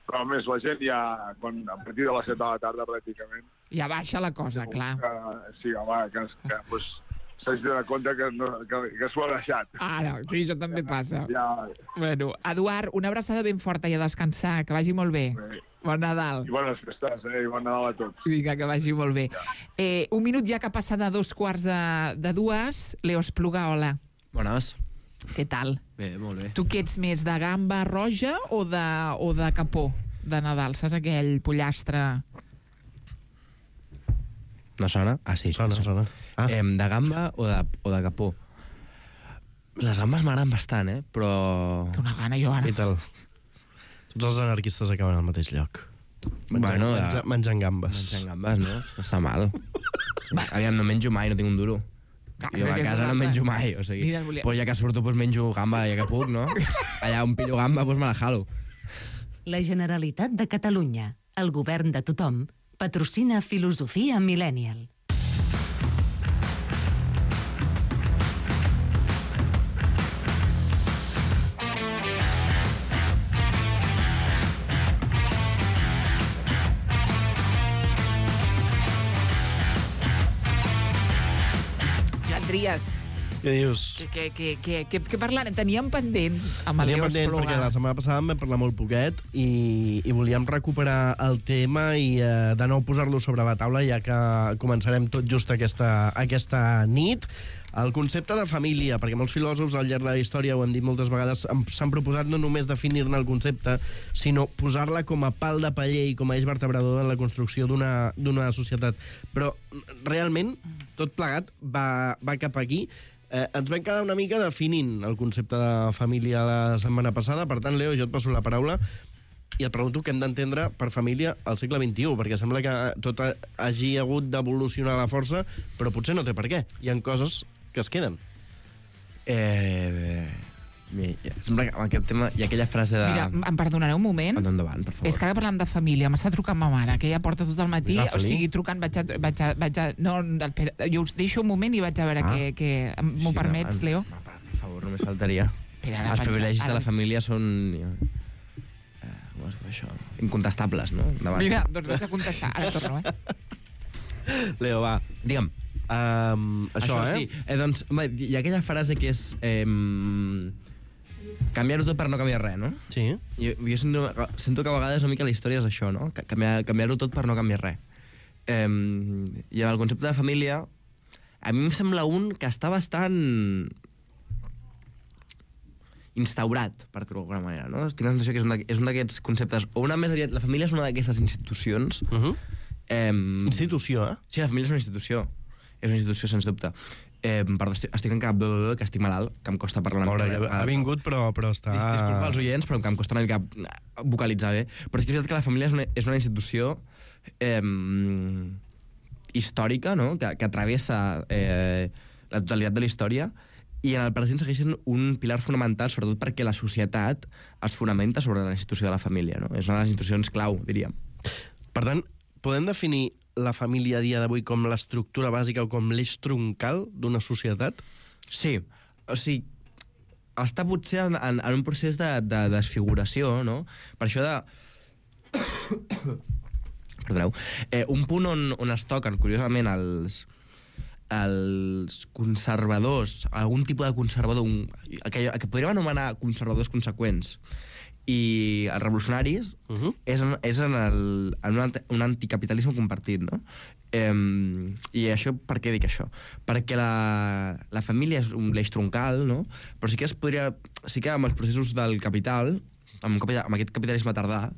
[SPEAKER 18] però a més la gent ja, a partir de les 7 de la tarda pràcticament...
[SPEAKER 8] Ja baixa la cosa, clar.
[SPEAKER 18] Sí, home, que s'hagi de donar compte que s'ho ha deixat.
[SPEAKER 8] No, sí, això també passa. Bueno, Eduard, una abraçada ben forta i a descansar, que vagi molt bé. Bon Nadal.
[SPEAKER 18] I bones festes, i bon Nadal a tots.
[SPEAKER 8] Vinga, que vagi molt bé. Un minut ja que passa de 2:45. Leo Espluga, hola.
[SPEAKER 19] Bones.
[SPEAKER 8] Què tal?
[SPEAKER 19] Bé, molt bé.
[SPEAKER 8] Tu què ets més, de gamba roja o de capó de Nadal? Saps aquell pollastre?
[SPEAKER 19] No sona? Ah, sí.
[SPEAKER 17] Sona.
[SPEAKER 19] De gamba o de capó? Les gambes m'agraden bastant, però...
[SPEAKER 8] Té una gana, jo ara.
[SPEAKER 17] I tal. Tots els anarquistes acaben al mateix lloc. Menjant gambes.
[SPEAKER 19] Menjant gambes, no? No està mal. Aviam, no menjo mai, no tinc un duro. Jo a casa no menjo mai, o sigui... Pues ja que surto, menjo gamba, ja que puc, no? Allà on pillo gamba, me la jalo.
[SPEAKER 13] La Generalitat de Catalunya, el govern de tothom, patrocina Filosofia Millennial.
[SPEAKER 8] Tries.
[SPEAKER 17] Què dius?
[SPEAKER 8] Què parlarem? Teníem pendent amb el Leo Espluga.
[SPEAKER 17] Perquè la setmana passada en vam parlar molt poquet i volíem recuperar el tema i de nou posar-lo sobre la taula, ja que començarem tot just aquesta nit. El concepte de família, perquè molts filòsofs al llarg de la història, ho hem dit moltes vegades, s'han proposat no només definir-ne el concepte, sinó posar-la com a pal de paller i com a eix vertebrador en la construcció d'una societat. Però realment tot plegat va cap aquí. Ens vam quedar una mica definint el concepte de família la setmana passada. Per tant, Leo, jo et passo la paraula i et pregunto què hem d'entendre per família al segle XXI, perquè sembla que tot hagi hagut d'evolucionar a la força, però potser no té per què. Hi ha coses que es queden.
[SPEAKER 19] Sembla que amb aquest tema hi ha aquella frase de...
[SPEAKER 8] Mira, em perdonareu un moment?
[SPEAKER 19] Endavant, per favor.
[SPEAKER 8] És que ara parlem de família. M'està trucant ma mare, que ella porta tot el matí, o sigui, trucant, vaig a... No, jo us deixo un moment i vaig a veure què... M'ho permets, Leo?
[SPEAKER 19] Per favor, només faltaria. Els privilegis de la família són... això, incontestables, no?
[SPEAKER 8] Mira, doncs vaig a contestar. Ara torno,
[SPEAKER 19] Leo, va, digue'm. Això, sí. Doncs, hi ha aquella frase que és... canviar-ho tot per no canviar res, no?
[SPEAKER 17] Sí.
[SPEAKER 19] Jo sento que a vegades una mica la història és això, no? Canviar-ho tot per no canviar res. I el concepte de família, a mi em sembla un que està bastant instaurat, per dir-ho d'alguna manera, no? Tinc la sensació que és un d'aquests conceptes, o una més aviat, la família és una d'aquestes institucions...
[SPEAKER 17] Institució,
[SPEAKER 19] Sí, la família és una institució. És una institució, sens dubte. Perdó, estic en cap que estic malalt, que em costa parlar una mica.
[SPEAKER 17] Ha vingut, però està...
[SPEAKER 19] Disculpa als oients, però que em costa una mica vocalitzar bé. Però és que és veritat que la família és una institució històrica, no? Que travessa la totalitat de la història, i en el present segueixen un pilar fonamental, sobretot perquè la societat es fonamenta sobre la institució de la família, no? És una de les institucions clau, diríem.
[SPEAKER 17] Per tant, podem definir la família a dia d'avui com l'estructura bàsica o com l'eix troncal d'una societat?
[SPEAKER 19] Sí, o sigui, està potser en un procés de desfiguració, no? Per això de... Perdoneu. Un punt on es toquen, curiosament, els conservadors, algun tipus de conservador, que podríem anomenar conservadors conseqüents, i els revolucionaris és en un anticapitalisme compartit, no? I això, per què dic això? Perquè la família és un l'eix troncal, no? Però sí que amb els processos del capital, amb aquest capitalisme tardà,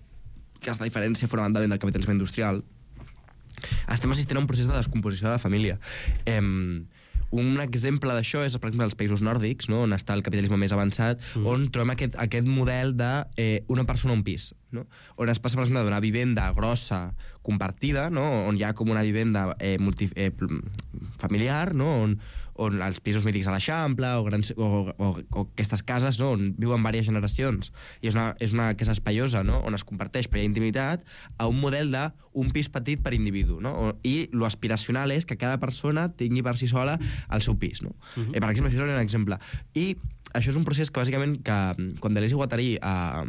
[SPEAKER 19] que és la diferència fonamentalment del capitalisme industrial, estem assistint a un procés de descomposició de la família. Un exemple d'això és, per exemple, els països nòrdics, no? On està el capitalisme més avançat, on trobem aquest model de una persona un pis, no? On es passa, per exemple, d'una vivenda grossa compartida, no? On hi ha com una vivenda familiar, no? On els pisos mítics a l'Eixample o aquestes cases, no? On viuen diverses generacions i és una casa espaiosa, no? On es comparteix per intimitat, a un model d'un pis petit per individu, no? I lo aspiracional és que cada persona tingui per si sola el seu pis, no? Per exemple, això és un exemple. I això és un procés que, bàsicament, quan Deleuze i Guattari a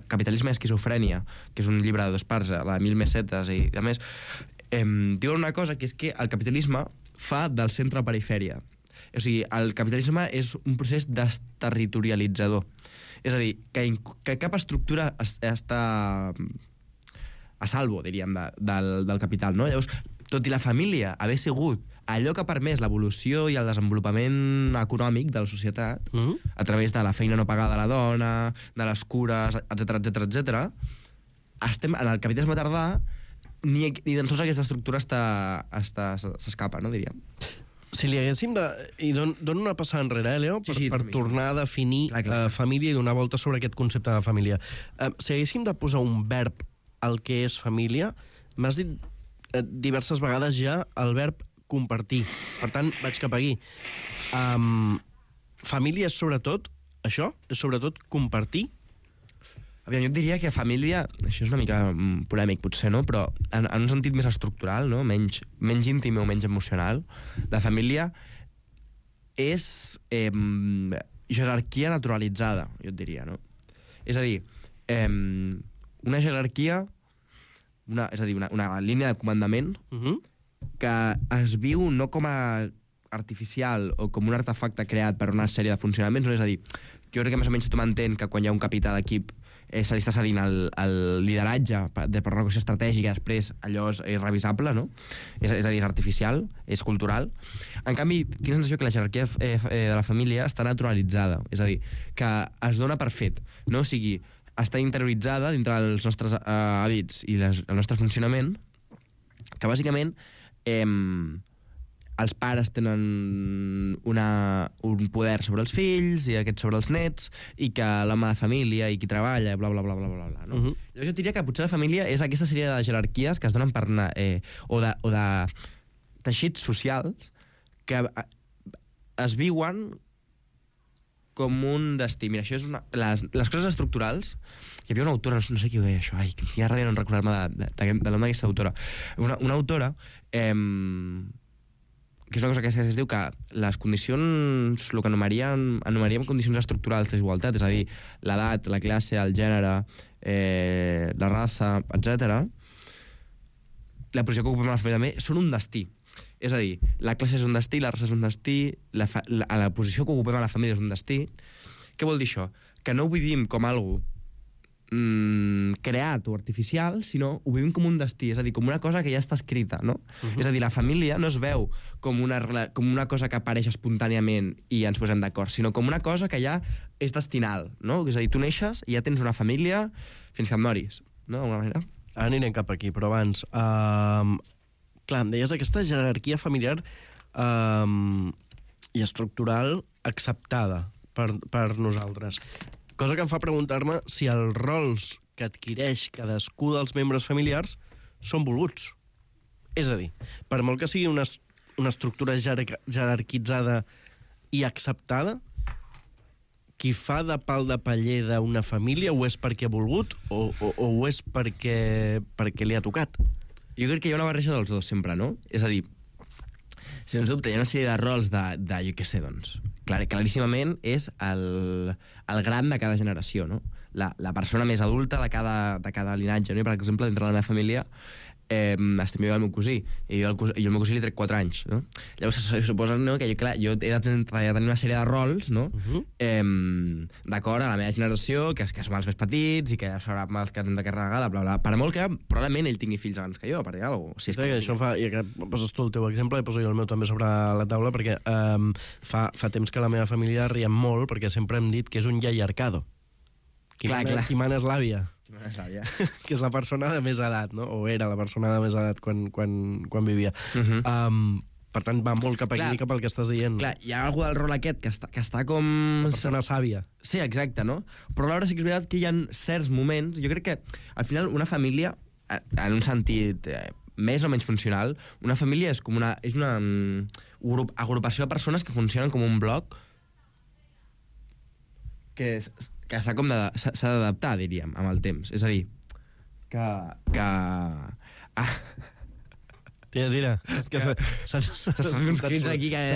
[SPEAKER 19] Capitalisme i esquizofrènia, que és un llibre de 2 parts, la de 1000 mesetes i a més, diuen una cosa, que és que el capitalisme fa del centre a perifèria. O sigui, el capitalisme és un procés desterritorialitzador. És a dir, que cap estructura està a salvo, diríem, del capital, no? Llavors, tot i la família haver sigut allò que ha permès l'evolució i el desenvolupament econòmic de la societat, a través de la feina no pagada de la dona, de les cures, etc., estem en el capitalisme tardà, ni tan sols aquesta estructura s'escapa, no, diríem.
[SPEAKER 17] Si li haguéssim de... I dono una passada enrere, Leo, per tornar a definir família i donar volta sobre aquest concepte de família. Si haguéssim de posar un verb al que és família, m'has dit diverses vegades ja el verb compartir. Per tant, vaig cap aquí. Família és sobretot això? És sobretot compartir?
[SPEAKER 19] Aviam, jo et diria que família, això és una mica polèmic potser, no? Però en un sentit més estructural, no? Menys íntim o menys emocional, la família és jerarquia naturalitzada, jo et diria, no? És a dir, una jerarquia, és a dir, una línia de comandament que es viu no com a artificial o com un artefacte creat per una sèrie de funcionaments, no? És a dir, jo crec que més o menys tothom entén que quan hi ha un capità d'equip se li està cedint el lideratge per una qüestió estratègica, després allò és irrevisable, no? És a dir, és artificial, és cultural. En canvi, tinc la sensació que la jerarquia de la família està naturalitzada, és a dir, que es dona per fet, no? O sigui, està interioritzada dintre dels nostres hàbits i el nostre funcionament, que bàsicament els pares tenen un poder sobre els fills i aquest sobre els nets, i que l'home de família i qui treballa, bla, bla, bla, bla, bla, bla, no? Llavors jo diria que potser la família és aquesta sèrie de jerarquies que es donen per o de teixits socials que es viuen com un destí. Mira, això és les coses estructurals. Hi havia una autora, no sé qui ho deia això, quina ràbia no recordar-me del nom d'aquesta autora. Una autora que és una cosa que es diu que les condicions, el que anomenaríem condicions estructurals d'igualtat, és a dir, l'edat, la classe, el gènere, la raça, etc., la posició que ocupem a la família també, són un destí. És a dir, la classe és un destí, la raça és un destí, la posició que ocupem a la família és un destí. Què vol dir això? Que no ho vivim com algo creat o artificial, sinó ho vivim com un destí, és a dir, com una cosa que ja està escrita, no? És a dir, la família no es veu com una cosa que apareix espontàniament i ens posem d'acord, sinó com una cosa que ja és destinal, no? És a dir, tu neixes i ja tens una família fins que et moris, no? D'alguna manera.
[SPEAKER 17] Ara anirem cap aquí, però abans... clar, em deies aquesta jerarquia familiar i estructural acceptada per nosaltres. Cosa que em fa preguntar-me si els rols que adquireix cadascú dels membres familiars són volguts. És a dir, per molt que sigui una estructura jerarquitzada i acceptada, qui fa de pal de paller d'una família ho és perquè ha volgut o ho és perquè li ha tocat?
[SPEAKER 19] Jo crec que hi ha una barreja dels dos, sempre, no? És a dir, sens dubte, hi ha una sèrie de rols de jo què sé, doncs, claríssimament és el gran de cada generació, no? La persona més adulta de cada linatge, no? I, per exemple, dintre de la meva família, estem jo i el meu cosí, i jo al meu cosí li trec 4 anys, no? Llavors se suposa, no, que jo he de tenir una sèrie de rols, no? D'acord a la meva generació, que som els més petits i que serà els que hem de carregar, bla, bla. Per molt que probablement ell tingui fills abans que jo, per dir alguna cosa. Si és que
[SPEAKER 17] això fa, i que poses tu el teu exemple i poso jo el meu també sobre la taula, perquè fa temps que la meva família riem molt, perquè sempre hem dit que és un iaiarcado. Qui mana és l'àvia. Que és la persona de més edat, no? O era la persona de més edat quan vivia. Per tant, va molt cap aquí, cap al que estàs dient.
[SPEAKER 19] Clar, hi ha algú del rol aquest que està com...
[SPEAKER 17] La persona sàvia.
[SPEAKER 19] Sí, exacte, no? Però alhora sí que és veritat que hi ha certs moments... Jo crec que, al final, una família, en un sentit més o menys funcional, una família és com una agrupació de persones que funcionen com un bloc que s'ha d'adaptar, diríem, amb el temps. És a dir,
[SPEAKER 17] Tira. És que s'han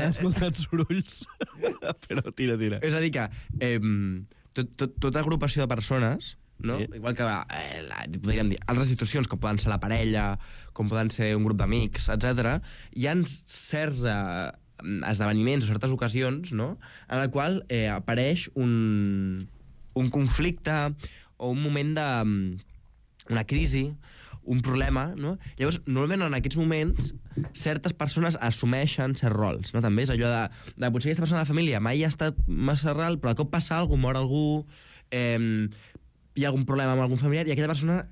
[SPEAKER 17] escoltat sorolls. Però tira.
[SPEAKER 19] És a dir que tota agrupació de persones, no? Sí. Igual que podríem dir altres institucions, com poden ser la parella, com poden ser un grup d'amics, etc., hi ha certs esdeveniments o certes ocasions, no?, en la qual apareix un conflicte o un moment una crisi, un problema, no? Llavors, normalment en aquests moments certes persones assumeixen certs rols, no? També és allò de potser aquesta persona de la família mai ha estat massa ral, però de cop passa alguna cosa, mor algú, hi ha algun problema amb algun familiar, i aquella persona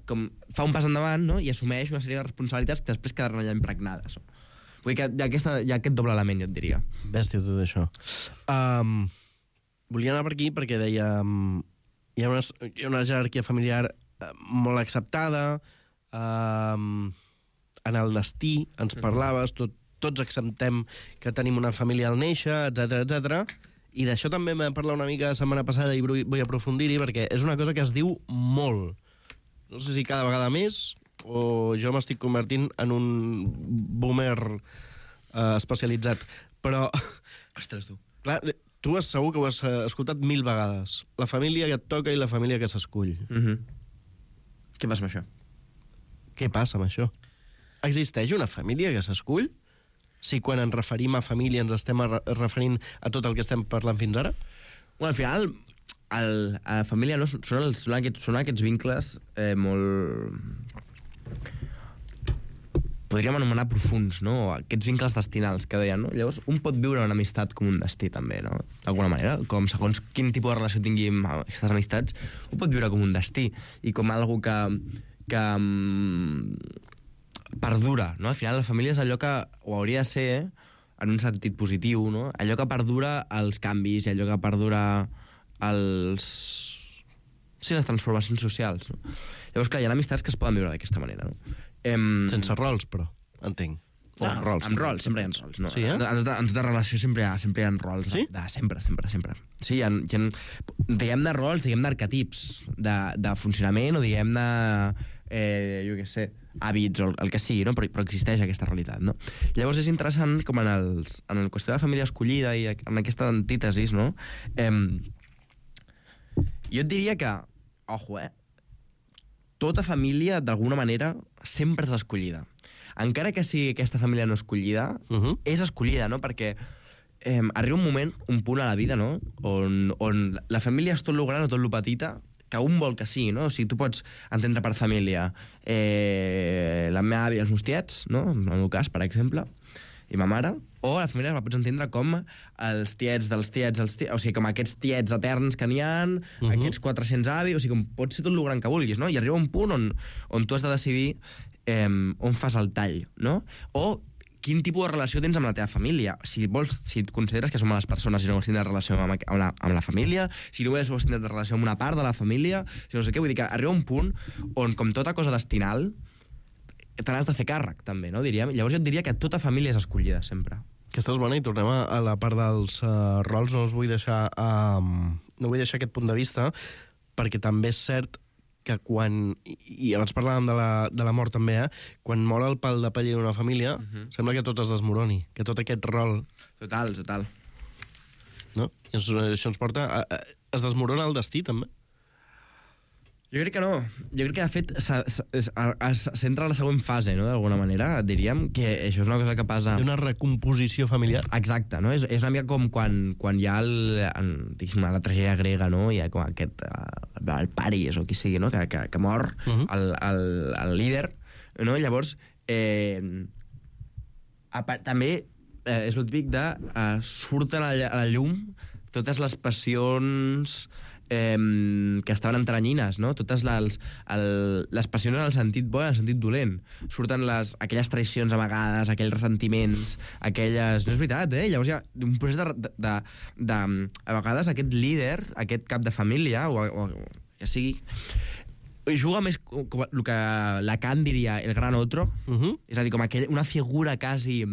[SPEAKER 19] com fa un pas endavant, no?, i assumeix una sèrie de responsabilitats que després quedaran allà impregnades. Vull dir que hi ha aquest doble element, jo et diria.
[SPEAKER 17] Bèstia, tot això. Volia anar per aquí perquè deia hi ha una jerarquia familiar molt acceptada, en el destí ens parlaves, tots acceptem que tenim una família al néixer, etc. I d'això també m'he parlat una mica la setmana passada i vull aprofundir-hi perquè és una cosa que es diu molt. No sé si cada vegada més o jo m'estic convertint en un boomer especialitzat, però...
[SPEAKER 19] Ostres, tu.
[SPEAKER 17] Clar, tu segur que ho has escoltat 1000 vegades. La família que et toca i la família que s'escull.
[SPEAKER 19] Què passa amb això?
[SPEAKER 17] Què passa amb això? Existeix una família que s'escull? Si quan ens referim a família ens estem referint a tot el que estem parlant fins ara?
[SPEAKER 19] Bueno, al final, a la família no, són aquests vincles molt... podríem anomenar profuns, no? Aquests vincles destinals que deien, no? Llavors, un pot viure una amistat com un destí, també, no? D'alguna manera, com segons quin tipus de relació tingui amb aquestes amistats, ho pot viure com un destí i com algo que perdura, no? Al final, la família és allò que ho hauria de ser, en un sentit positiu, no? Allò que perdura els canvis i allò que perdura les transformacions socials, no? Llavors, clar, hi ha amistats que es poden viure d'aquesta manera, no?
[SPEAKER 17] Sense rols, però, entenc.
[SPEAKER 19] No, amb rols, sempre hi ha rols. No?
[SPEAKER 17] Sí,
[SPEAKER 19] en tota relació sempre hi ha rols.
[SPEAKER 17] Sí?
[SPEAKER 19] Sempre. Sí, hi ha diguem-ne rols, diguem-ne arquetips de funcionament o diguem-ne, jo què sé, hàbits o el que sigui, no? Però existeix aquesta realitat, no? Llavors és interessant com en el qüestió de la família escollida i en aquesta antítesis, no? Jo et diria que, ojo, tota família, d'alguna manera, sempre és escollida. Encara que sigui aquesta família no escollida, és escollida, no? Perquè arriba un punt a la vida, no?, on la família és tot lo gran o tot lo petita, que un vol que sí, no? O sigui, tu pots entendre per família la meva àvia i els meus tiets, no?, en el meu cas, per exemple, i ma mare, o la família la pots entendre com els tiets dels tiets, o sigui, com aquests tiets eterns que n'hi ha, aquests 400 avis, o sigui, com pot ser tot el gran que vulguis, no? I arriba un punt on tu has de decidir on fas el tall, no? O quin tipus de relació tens amb la teva família. Si et consideres que som les persones i no vols tindre relació amb la família, si no vols tindre relació amb una part de la família, si no sé què, vull dir que arriba un punt on, com tota cosa destinal, te n'has de fer càrrec, també, no? Diríem. Llavors jo et diria que tota família és escollida, sempre.
[SPEAKER 17] Aquesta és bona, i tornem a la part dels rols. No vull deixar aquest punt de vista, perquè també és cert que quan... I abans parlàvem de la mort també, quan mor el pal de paller d'una família, sembla que tot es desmoroni, que tot aquest rol...
[SPEAKER 19] Total.
[SPEAKER 17] No? I això ens porta... Es desmorona el destí, també?
[SPEAKER 19] Jo crec que no. Jo crec que, de fet, s'entra a la següent fase, no?, d'alguna manera. Diríem que això és una cosa que passa...
[SPEAKER 17] Una recomposició familiar.
[SPEAKER 19] Exacte, no? És una mica com quan hi ha la tragèdia grega, no? Hi ha com aquest... el Paris, o qui sigui, no?, que mor el líder, no? Llavors, també és el típic de surten a la llum totes les passions que estaven entranyines, no? Totes les passions en el sentit bo i en el sentit dolent. Surten aquelles traïcions amagades, aquells ressentiments, aquelles... No és veritat, eh? Llavors hi ha un procés de a vegades aquest líder, aquest cap de família, o ja sigui, juga més com el que Lacan diria el gran otro, és a dir, com una figura quasi...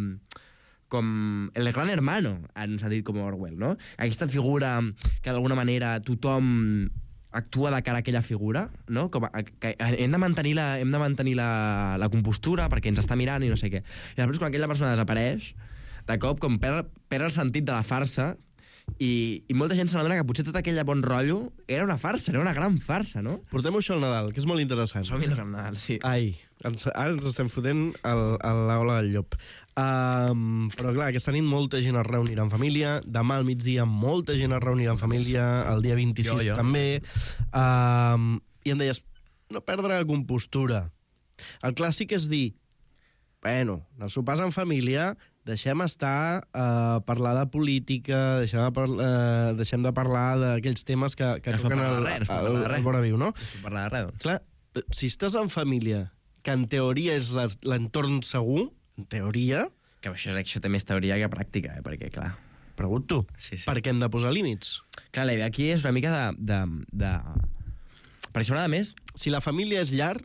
[SPEAKER 19] com el gran hermano, en un sentit com Orwell, no? Aquesta figura que d'alguna manera tothom actua de cara a aquella figura, no? Com que hem de mantenir la compostura perquè ens està mirant i no sé què. I després quan aquella persona desapareix, de cop com perd el sentit de la farsa i molta gent se n'adona que potser tot aquell bon rotllo era una farsa, era una gran farsa, no?
[SPEAKER 17] Portem això al Nadal, que és molt interessant.
[SPEAKER 19] Som-hi al Nadal, sí.
[SPEAKER 17] Ai, ara ens estem fotent a l'aula del llop. Però clar, aquesta nit molta gent es reunirà en família, demà al migdia molta gent es reunirà en família, el dia 26 també, i em deies, no perdre la compostura. El clàssic és dir, bueno, els sopars en família, deixem estar parlar de política, deixem de parlar d'aquells temes que toquen el vora viu, no?
[SPEAKER 19] No parlar de res, doncs.
[SPEAKER 17] Clar, si estàs en família, que en teoria és l'entorn segur, en teoria...
[SPEAKER 19] Que això té més teoria que pràctica, perquè, clar...
[SPEAKER 17] Pregunto, per què hem de posar límits?
[SPEAKER 19] Clar, la idea aquí és una mica de... Per això, nada més...
[SPEAKER 17] Si la família és llar,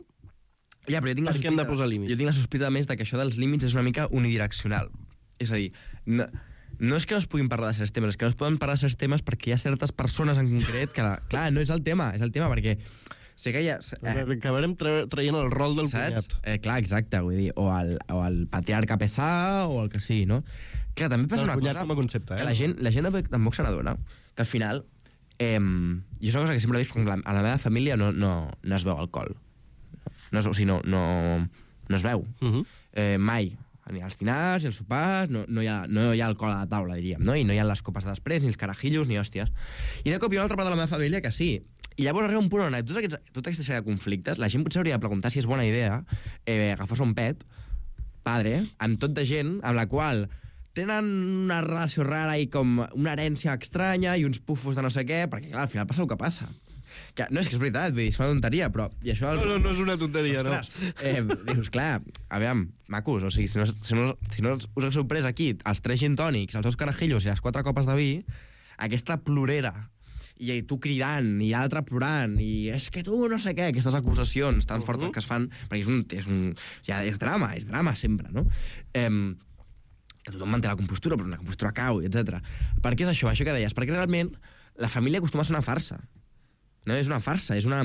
[SPEAKER 19] ja, però jo tinc
[SPEAKER 17] per què hem de posar límits?
[SPEAKER 19] Jo tinc la sospita, més, que això dels límits és una mica unidireccional. És a dir, no és que no es puguin parlar de certs temes, és que no es poden parlar de certs temes perquè hi ha certes persones en concret que... Clar, no és el tema, perquè... Sé que ja...
[SPEAKER 17] Acabarem traient el rol del cunyat.
[SPEAKER 19] Clar, exacte, vull dir, o el patriarca pesà, o el que sigui, no? Clar, també passa una cosa...
[SPEAKER 17] Com a concepte,
[SPEAKER 19] que la gent tampoc se n'adona, que al final... jo és una cosa que sempre he vist, a la meva família no es veu alcohol. No es veu. Mai. Ni als dinars, ni als sopars, no hi ha alcohol a la taula, diríem, no? I no hi ha les copes de després, ni els carajillos, ni hòsties. I de cop hi ha una altra part de la meva família que sí. I llavors arriba un punt on tota aquesta sèrie de conflictes, la gent potser hauria de preguntar si és bona idea agafar-se un pet, padre, amb tot de gent amb la qual tenen una relació rara i com una herència estranya i uns pufos de no sé què, perquè clar, al final passa el que passa. Que, no, és que és veritat, vull dir, és una tonteria, però... I això
[SPEAKER 17] no és una tonteria,
[SPEAKER 19] ostres, no. Dius, clar, aviam, macos, o sigui, si no us haguéssiu pres aquí els 3 gin tònics, els 2 carajillos i les 4 copes de vi, aquesta plorera, i tu cridant, i l'altre plorant, i és que tu no sé què, aquestes acusacions tan fortes que es fan, perquè és drama sempre, no? Que tothom manté la compostura, però una compostura cau, etc. Per què és això que deies? Perquè realment la família acostuma a ser una farsa. No, és una farsa, és una...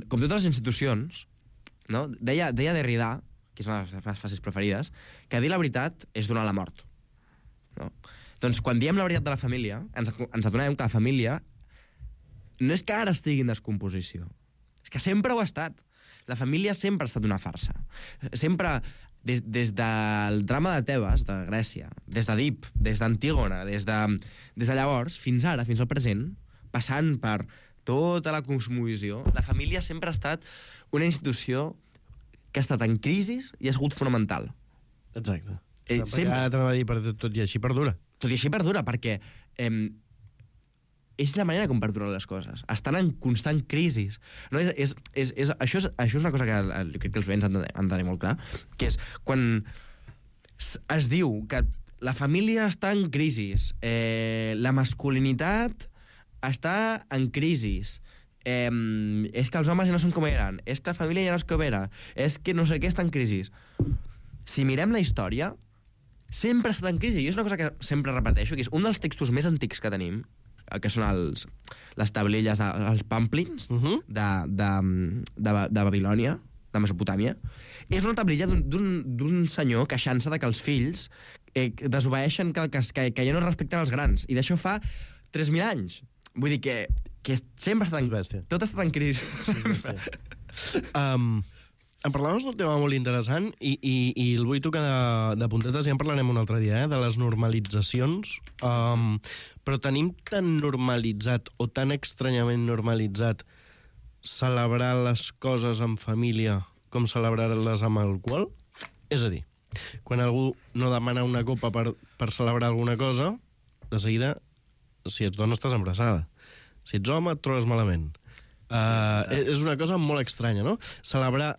[SPEAKER 19] Com totes les institucions, no? Deia Derrida, que és una de les meves frases preferides, que dir la veritat és donar la mort. No? Doncs quan diem la veritat de la família, ens adonem que la família no és que ara estigui en descomposició, és que sempre ho ha estat. La família sempre ha estat una farsa. Sempre, des del drama de Tebes, de Grècia, des d'Edip, des d'Antígona, des de llavors, fins ara, fins al present, passant per tota la cosmovisió, la família sempre ha estat una institució que ha estat en crisi i ha sigut fonamental.
[SPEAKER 17] Exacte.
[SPEAKER 19] Sempre.
[SPEAKER 17] Ara t'anava a dir, tot i així perdura.
[SPEAKER 19] Tot i així perdura, perquè és la manera com perduren les coses. Estan en constant crisi. No, això és una cosa que crec que els veïns han de tenir molt clar, que és quan es diu que la família està en crisi, la masculinitat està en crisi, és que els homes ja no són com eren, és que la família ja no és com era, és que no sé què està en crisi. Si mirem la història, sempre ha estat en crisi. I és una cosa que sempre repeteixo, que és un dels textos més antics que tenim, que són les tablelles, els pamplins de Babilònia, de Mesopotàmia. És una tablilla d'un senyor queixant-se que els fills desobeeixen, que ja no respecten els grans. I d'això fa 3.000 anys. Vull dir que sempre està tan... Tot està tan crisi.
[SPEAKER 17] Em parlaves d'un tema molt interessant i el vull tocar de puntetes, ja en parlarem un altre dia, de les normalitzacions. Però tenim tan normalitzat o tan estranyament normalitzat celebrar les coses en família com celebrar-les amb alcohol? És a dir, quan algú no demana una copa per celebrar alguna cosa, de seguida, si ets dona estàs embarassada. Si ets home et trobes malament. És una cosa molt estranya, no? Celebrar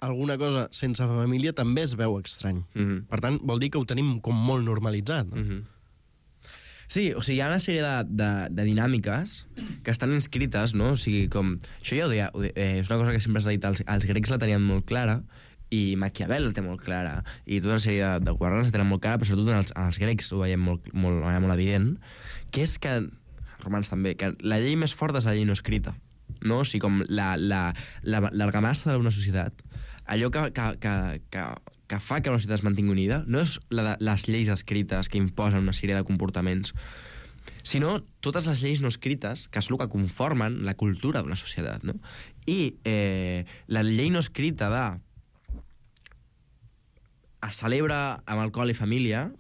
[SPEAKER 17] alguna cosa sense família també es veu estrany. Per tant, vol dir que ho tenim com molt normalitzat, no?
[SPEAKER 19] Sí, o sigui, hi ha una sèrie de dinàmiques que estan inscrites, no? O sigui, com... Això ja ho deia, és una cosa que sempre s'ha dit, els grecs la tenien molt clara, i Maquiavel la té molt clara, i tota una sèrie de governants la tenen molt clara, però sobretot els grecs ho veiem molt evident, que és que, romans també, que la llei més forta és la llei no escrita, no? O sigui, com l'argamassa d'una societat, allò que fa que la societat es mantingui unida no és les lleis escrites que imposen una sèrie de comportaments, sinó totes les lleis no escrites, que és el que conformen la cultura d'una societat, no? I la llei no escrita es celebra amb alcohol i família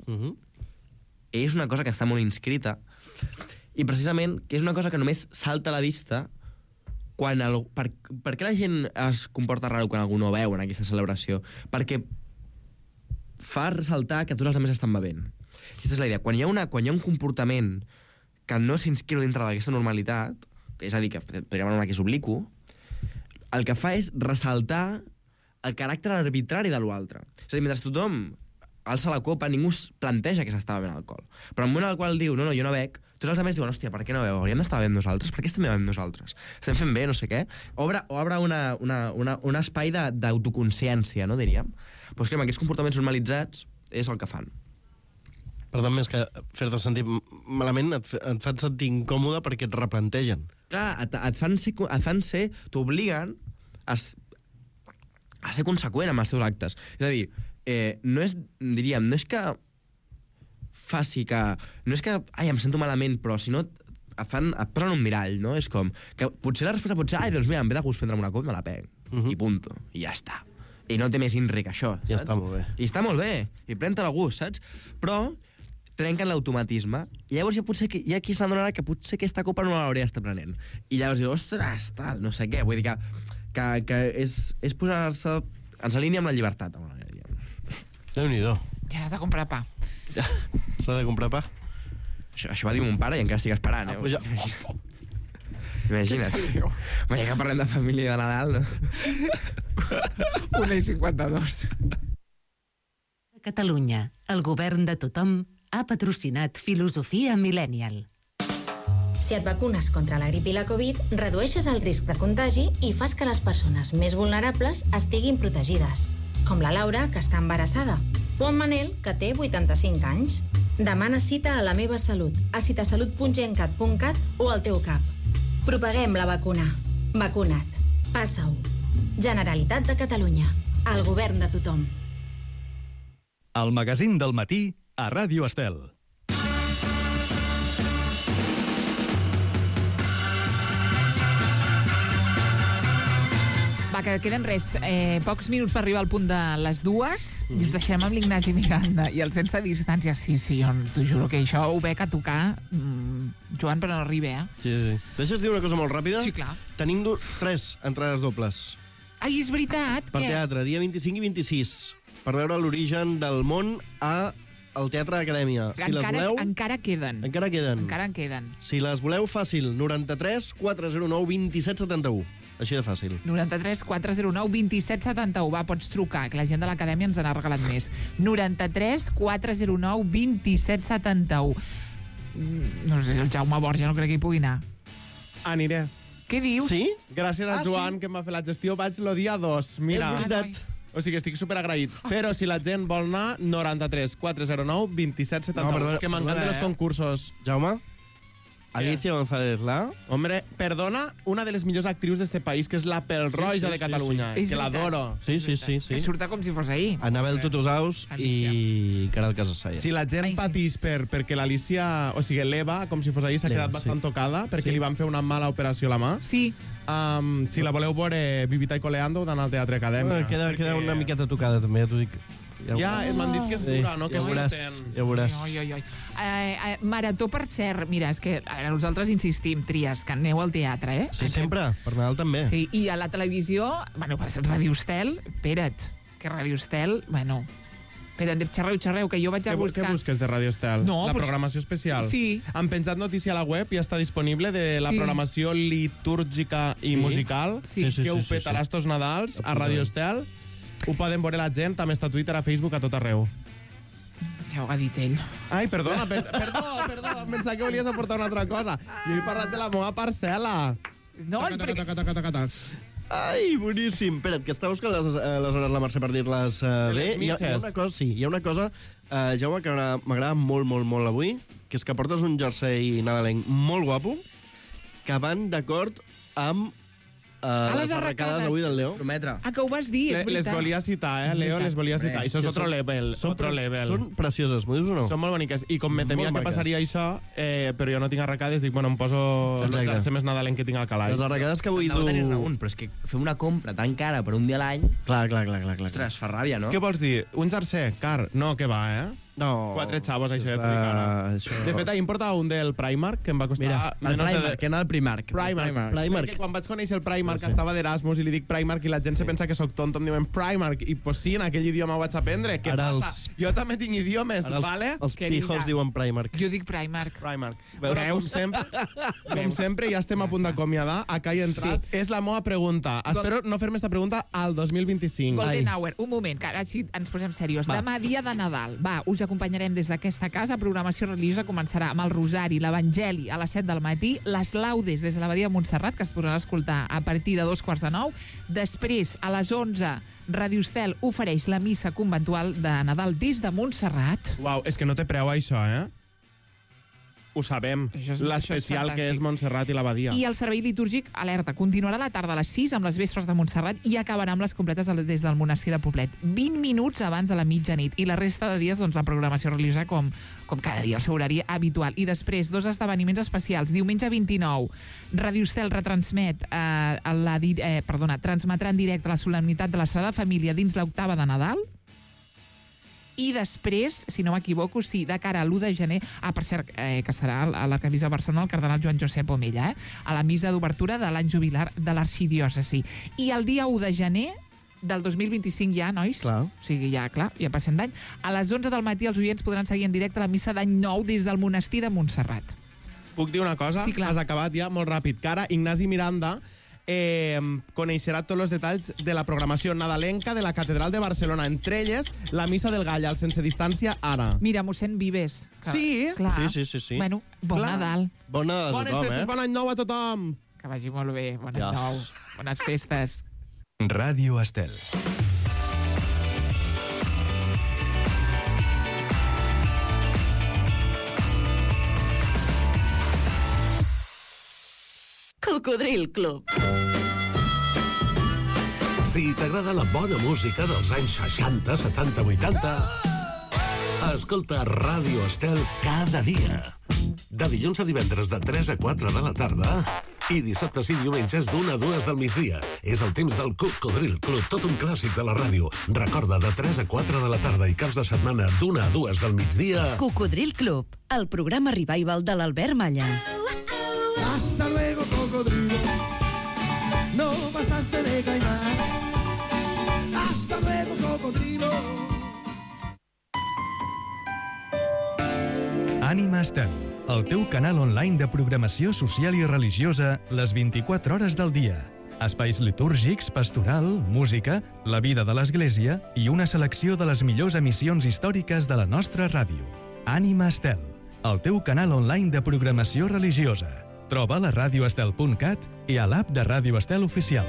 [SPEAKER 19] és una cosa que està molt inscrita i precisament que és una cosa que només salta a la vista quan... Per què la gent es comporta raro quan algú no veu en aquesta celebració? Perquè fa ressaltar que tots els altres estan bevent. Aquesta és la idea. Quan hi ha un comportament que no s'inscriu dintre d'aquesta normalitat, és a dir, que podríem anomenar que és oblicu, el que fa és ressaltar el caràcter arbitrari de l'altre. És a dir, mentre tothom alça la copa, ningú es planteja que s'està bevent alcohol. Però en el moment en el qual diu, no, jo no bec, tots els altres diuen, hòstia, per què no beu? Hauríem d'estar bevent nosaltres? Per què estem bevent nosaltres? Estem fent bé, no sé què. Obre un espai d'autoconsciència, no, diríem. Però és que amb aquests comportaments normalitzats és el que fan.
[SPEAKER 17] Per tant, més que fer-te sentir malament, et fan sentir incòmode perquè et replantegen.
[SPEAKER 19] Clar, et fan ser... T'obliguen a ser conseqüent amb els teus actes. És a dir, no és que faci que... No és que, em sento malament, però si no et posen un mirall, no? És com... Que potser la resposta pot ser, doncs mira, em ve de gust prendre'm una copa i me la pego. I punto. I ja està. I no té més inri que això, saps?
[SPEAKER 17] Ja està molt bé.
[SPEAKER 19] I està molt bé. I pren-te-la a gust, saps? Però trenquen l'automatisme. I llavors potser hi ha qui s'adonarà que potser aquesta copa no l'hauria d'estar prenent. I llavors diu, ostres, tal, no sé què. Vull dir que és posar-se... Ens alinea amb la llibertat.
[SPEAKER 17] Déu-n'hi-do.
[SPEAKER 8] Ja has de comprar pa.
[SPEAKER 17] Ja, s'ha de comprar pa.
[SPEAKER 19] Això va dir mon pare i encara estic esperant, Imagina't. Ja que parlem de família i de Nadal, no?
[SPEAKER 8] 1:52.
[SPEAKER 13] Catalunya, el govern de tothom, ha patrocinat Filosofia Millennial.
[SPEAKER 20] Si et vacunes contra la grip i la Covid, redueixes el risc de contagi i fas que les persones més vulnerables estiguin protegides, com la Laura, que està embarassada, o en Manel, que té 85 anys. Demana cita a La Meva Salut, a citasalut.gencat.cat o al teu CAP. Propaguem la vacuna. Vacuna't. Passa-ho. Generalitat de Catalunya. El govern de tothom.
[SPEAKER 1] El magazín del matí a Ràdio Estel.
[SPEAKER 8] Va, que queden pocs minuts per arribar al punt de les 2 i us deixem amb l'Ignasi Miranda i el Sense Distància. Sí, jo t'ho juro que això ho veig a tocar, Joan, però no arriba,
[SPEAKER 17] Sí. Deixes dir una cosa molt ràpida?
[SPEAKER 8] Sí, clar.
[SPEAKER 17] Tenim 3 entrades dobles.
[SPEAKER 8] Ai, és veritat!
[SPEAKER 17] Per teatre, dia 25 i 26, per veure l'origen del món al Teatre Acadèmia.
[SPEAKER 8] Encara queden.
[SPEAKER 17] Encara queden.
[SPEAKER 8] Encara en queden.
[SPEAKER 17] Si les voleu, fàcil, 93 409 2771. Així de fàcil.
[SPEAKER 8] 93 409 2771. Va, pots trucar, que la gent de l'Acadèmia ens n'ha regalat més. 93 409 2771. No sé, el Jaume Borja no crec que hi pugui anar.
[SPEAKER 21] Aniré.
[SPEAKER 8] Què dius?
[SPEAKER 17] Sí?
[SPEAKER 21] Gràcies a Joan, que em va fer la gestió, vaig el dia 2. Mira.
[SPEAKER 17] És veritat.
[SPEAKER 21] O sigui, estic superagraït. Però si la gent vol anar, 93 409 2771. És que m'encanten els concursos.
[SPEAKER 17] Jaume? Alicia González Lá.
[SPEAKER 21] Hombre, perdona, una de les millors actrius d'este país, que és la Pelroja de Catalunya.
[SPEAKER 8] És
[SPEAKER 21] que l'adoro.
[SPEAKER 17] Sí.
[SPEAKER 8] Surta com si fos ahir.
[SPEAKER 17] Anabel Tutusaus i Caral Casassalla.
[SPEAKER 21] Si la gent patís perquè l'Alicia, o sigui, l'Eva, com si fos ahir, s'ha quedat bastant tocada, perquè li van fer una mala operació a la mà.
[SPEAKER 8] Sí.
[SPEAKER 21] Si la voleu veure Vivita i Coleando, heu d'anar al Teatre Acadèmia.
[SPEAKER 17] Queda una miqueta tocada, també, ja t'ho dic.
[SPEAKER 21] Ja, m'han dit que és dura, no? Que
[SPEAKER 17] ja ho veuràs.
[SPEAKER 8] Marató, per cert, mira, és que nosaltres insistim, Tries, que aneu al teatre, eh?
[SPEAKER 17] Sí, sempre, per Nadal també.
[SPEAKER 8] Sí, i a la televisió, bueno, per ser Ràdio Estel, espera't, que Ràdio Estel, bueno... Espera't, xerreu, que jo vaig a buscar...
[SPEAKER 21] Què busques de Ràdio Estel?
[SPEAKER 8] No,
[SPEAKER 21] la programació especial?
[SPEAKER 8] Sí.
[SPEAKER 21] Han penjat notícia a la web i està disponible de la programació litúrgica i musical que ho petarà estos Nadals a Ràdio Estel. Ho poden veure la gent, també està a Twitter, a Facebook, a tot arreu.
[SPEAKER 8] Ja ho ha dit ell.
[SPEAKER 21] Ai, perdona, em pensava que volies aportar una altra cosa. Jo he parlat de la meva parcel·la.
[SPEAKER 8] No,
[SPEAKER 17] Ai, boníssim. Espera't, que està buscant les hores la Mercè per dir-les bé. Hi ha una cosa, Jaume, que m'agrada molt, molt, molt avui, que és que portes un jersei nadalenc molt guapo, que van d'acord amb les arracades avui del Leo.
[SPEAKER 8] Que ho vas dir, és veritat.
[SPEAKER 21] Les volia citar, Leo, les volia citar. Això és otro level.
[SPEAKER 17] Són precioses, m'ho dius o no?
[SPEAKER 21] Són molt boniques. I com me temia que passaria això, però jo no tinc arracades, dic, bueno, em poso el jersei més nadalenc que tinc al calaix.
[SPEAKER 17] Les arracades que avui
[SPEAKER 19] du... No tenir raó, però és que fer una compra tan cara per un dia a l'any...
[SPEAKER 17] Clar.
[SPEAKER 19] Ostres, fa ràbia, no?
[SPEAKER 21] Què vols dir? Un jersei car? No, que va,
[SPEAKER 17] No.
[SPEAKER 21] 4 xavos, això de cara. De fet, ahir em portava un del Primark, que em va costar...
[SPEAKER 19] Mira, el Primark, que anava al Primark.
[SPEAKER 21] Primark. Perquè quan vaig conèixer el Primark, estava d'Erasmus, i li dic Primark, i la gent se pensa que sóc tonto, em diuen Primark, i pues sí, en aquell idioma ho vaig aprendre. Què passa? Jo també tinc idiomes, vale?
[SPEAKER 17] Els pijos diuen Primark.
[SPEAKER 8] Jo dic Primark.
[SPEAKER 21] Veus? Com sempre, ja estem a punt d'acomiadar. Acá hi he entrat. És la meva pregunta. Espero no fer-me esta pregunta al 2025.
[SPEAKER 8] Golden Hour, un moment, que ara sí ens posem serios. Demà, dia de Nadal. Va, us acompanyarem des d'aquesta casa. Programació religiosa començarà amb el Rosari, l'Evangeli a les 7 del matí, les laudes des de l'Abadia de Montserrat, que es podran escoltar a partir de 8:45. Després, a les 11, Ràdio Estel ofereix la missa conventual de Nadal des de Montserrat.
[SPEAKER 21] Uau, és que no té preu això, Ho sabem, l'especial que és Montserrat i l'Abadia.
[SPEAKER 8] I el servei litúrgic, alerta, continuarà a la tarda a les 6 amb les vespres de Montserrat i acabarà amb les completes des del monestir de Poblet. 20 minuts abans de la mitjanit. I la resta de dies, doncs, la programació religiosa com cada dia, el seu horari habitual. I després, 2 esdeveniments especials. Diumenge 29, Ràdio Estel retransmet, transmetrà en directe la solemnitat de la Sagrada Família dins l'octava de Nadal. I després, si no m'equivoco, sí, de cara a l'1 de gener, per cert, que estarà a l'Arquebisbe de Barcelona el cardenal Joan Josep Omella, a la missa d'obertura de l'any jubilar de l'arxidiòcesi. I el dia 1 de gener del 2025 ja, nois?
[SPEAKER 17] Clar.
[SPEAKER 8] O sigui, ja passem d'any. A les 11 del matí els oients podran seguir en directe la missa d'any nou des del monestir de Montserrat.
[SPEAKER 21] Puc dir una cosa?
[SPEAKER 8] Sí, clar.
[SPEAKER 21] Has acabat ja, molt ràpid. Que ara Ignasi Miranda coneixerà tots els detalls de la programació nadalenca de la Catedral de Barcelona, entre elles la Missa del Gall, al Sense Distància, ara.
[SPEAKER 8] Mira, mossèn Vives.
[SPEAKER 21] Sí?
[SPEAKER 8] Clar.
[SPEAKER 17] Sí.
[SPEAKER 8] Bueno, bon Nadal.
[SPEAKER 17] Bon Nadal a tothom,
[SPEAKER 21] Bones festes, bon any nou a tothom.
[SPEAKER 8] Que vagi molt bé, bon any nou. Bones festes.
[SPEAKER 1] Ràdio Estel.
[SPEAKER 14] Cocodril Club.
[SPEAKER 3] Si t'agrada la bona música dels anys 60, 70, 80, escolta Ràdio Estel cada dia. De dilluns a divendres de 3 a 4 de la tarda i dissabtes i diumenges d'1 a 2 del migdia. És el temps del Cocodril Club, tot un clàssic de la ràdio. Recorda, de 3 a 4 de la tarda i caps de setmana d'1 a 2 del migdia.
[SPEAKER 13] Cocodril Club, el programa revival de l'Albert Malla.
[SPEAKER 16] Hasta luego, cocodrilo. No pasaste de caimán. Hasta luego, cocodrilo.
[SPEAKER 1] Ànima Estel, el teu canal online de programació social i religiosa les 24 hores del dia. Espais litúrgics, pastoral, música, la vida de l'Església i una selecció de les millors emissions històriques de la nostra ràdio. Ànima Estel, el teu canal online de programació religiosa. Troba a radioestel.cat i a l'app de Ràdio Estel Oficial.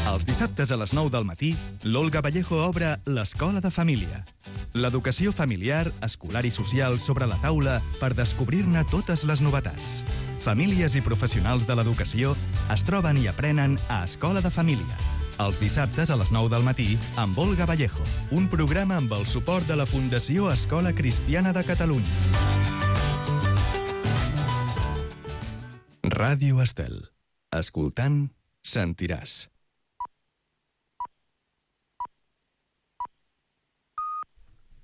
[SPEAKER 1] Els dissabtes a les 9 del matí, l'Olga Vallejo obre l'Escola de Família. L'educació familiar, escolar i social sobre la taula per descobrir-ne totes les novetats. Famílies i professionals de l'educació es troben i aprenen a Escola de Família. Els dissabtes a les 9 del matí amb Olga Vallejo. Un programa amb el suport de la Fundació Escola Cristiana de Catalunya. Ràdio Estel. Escoltant, sentiràs.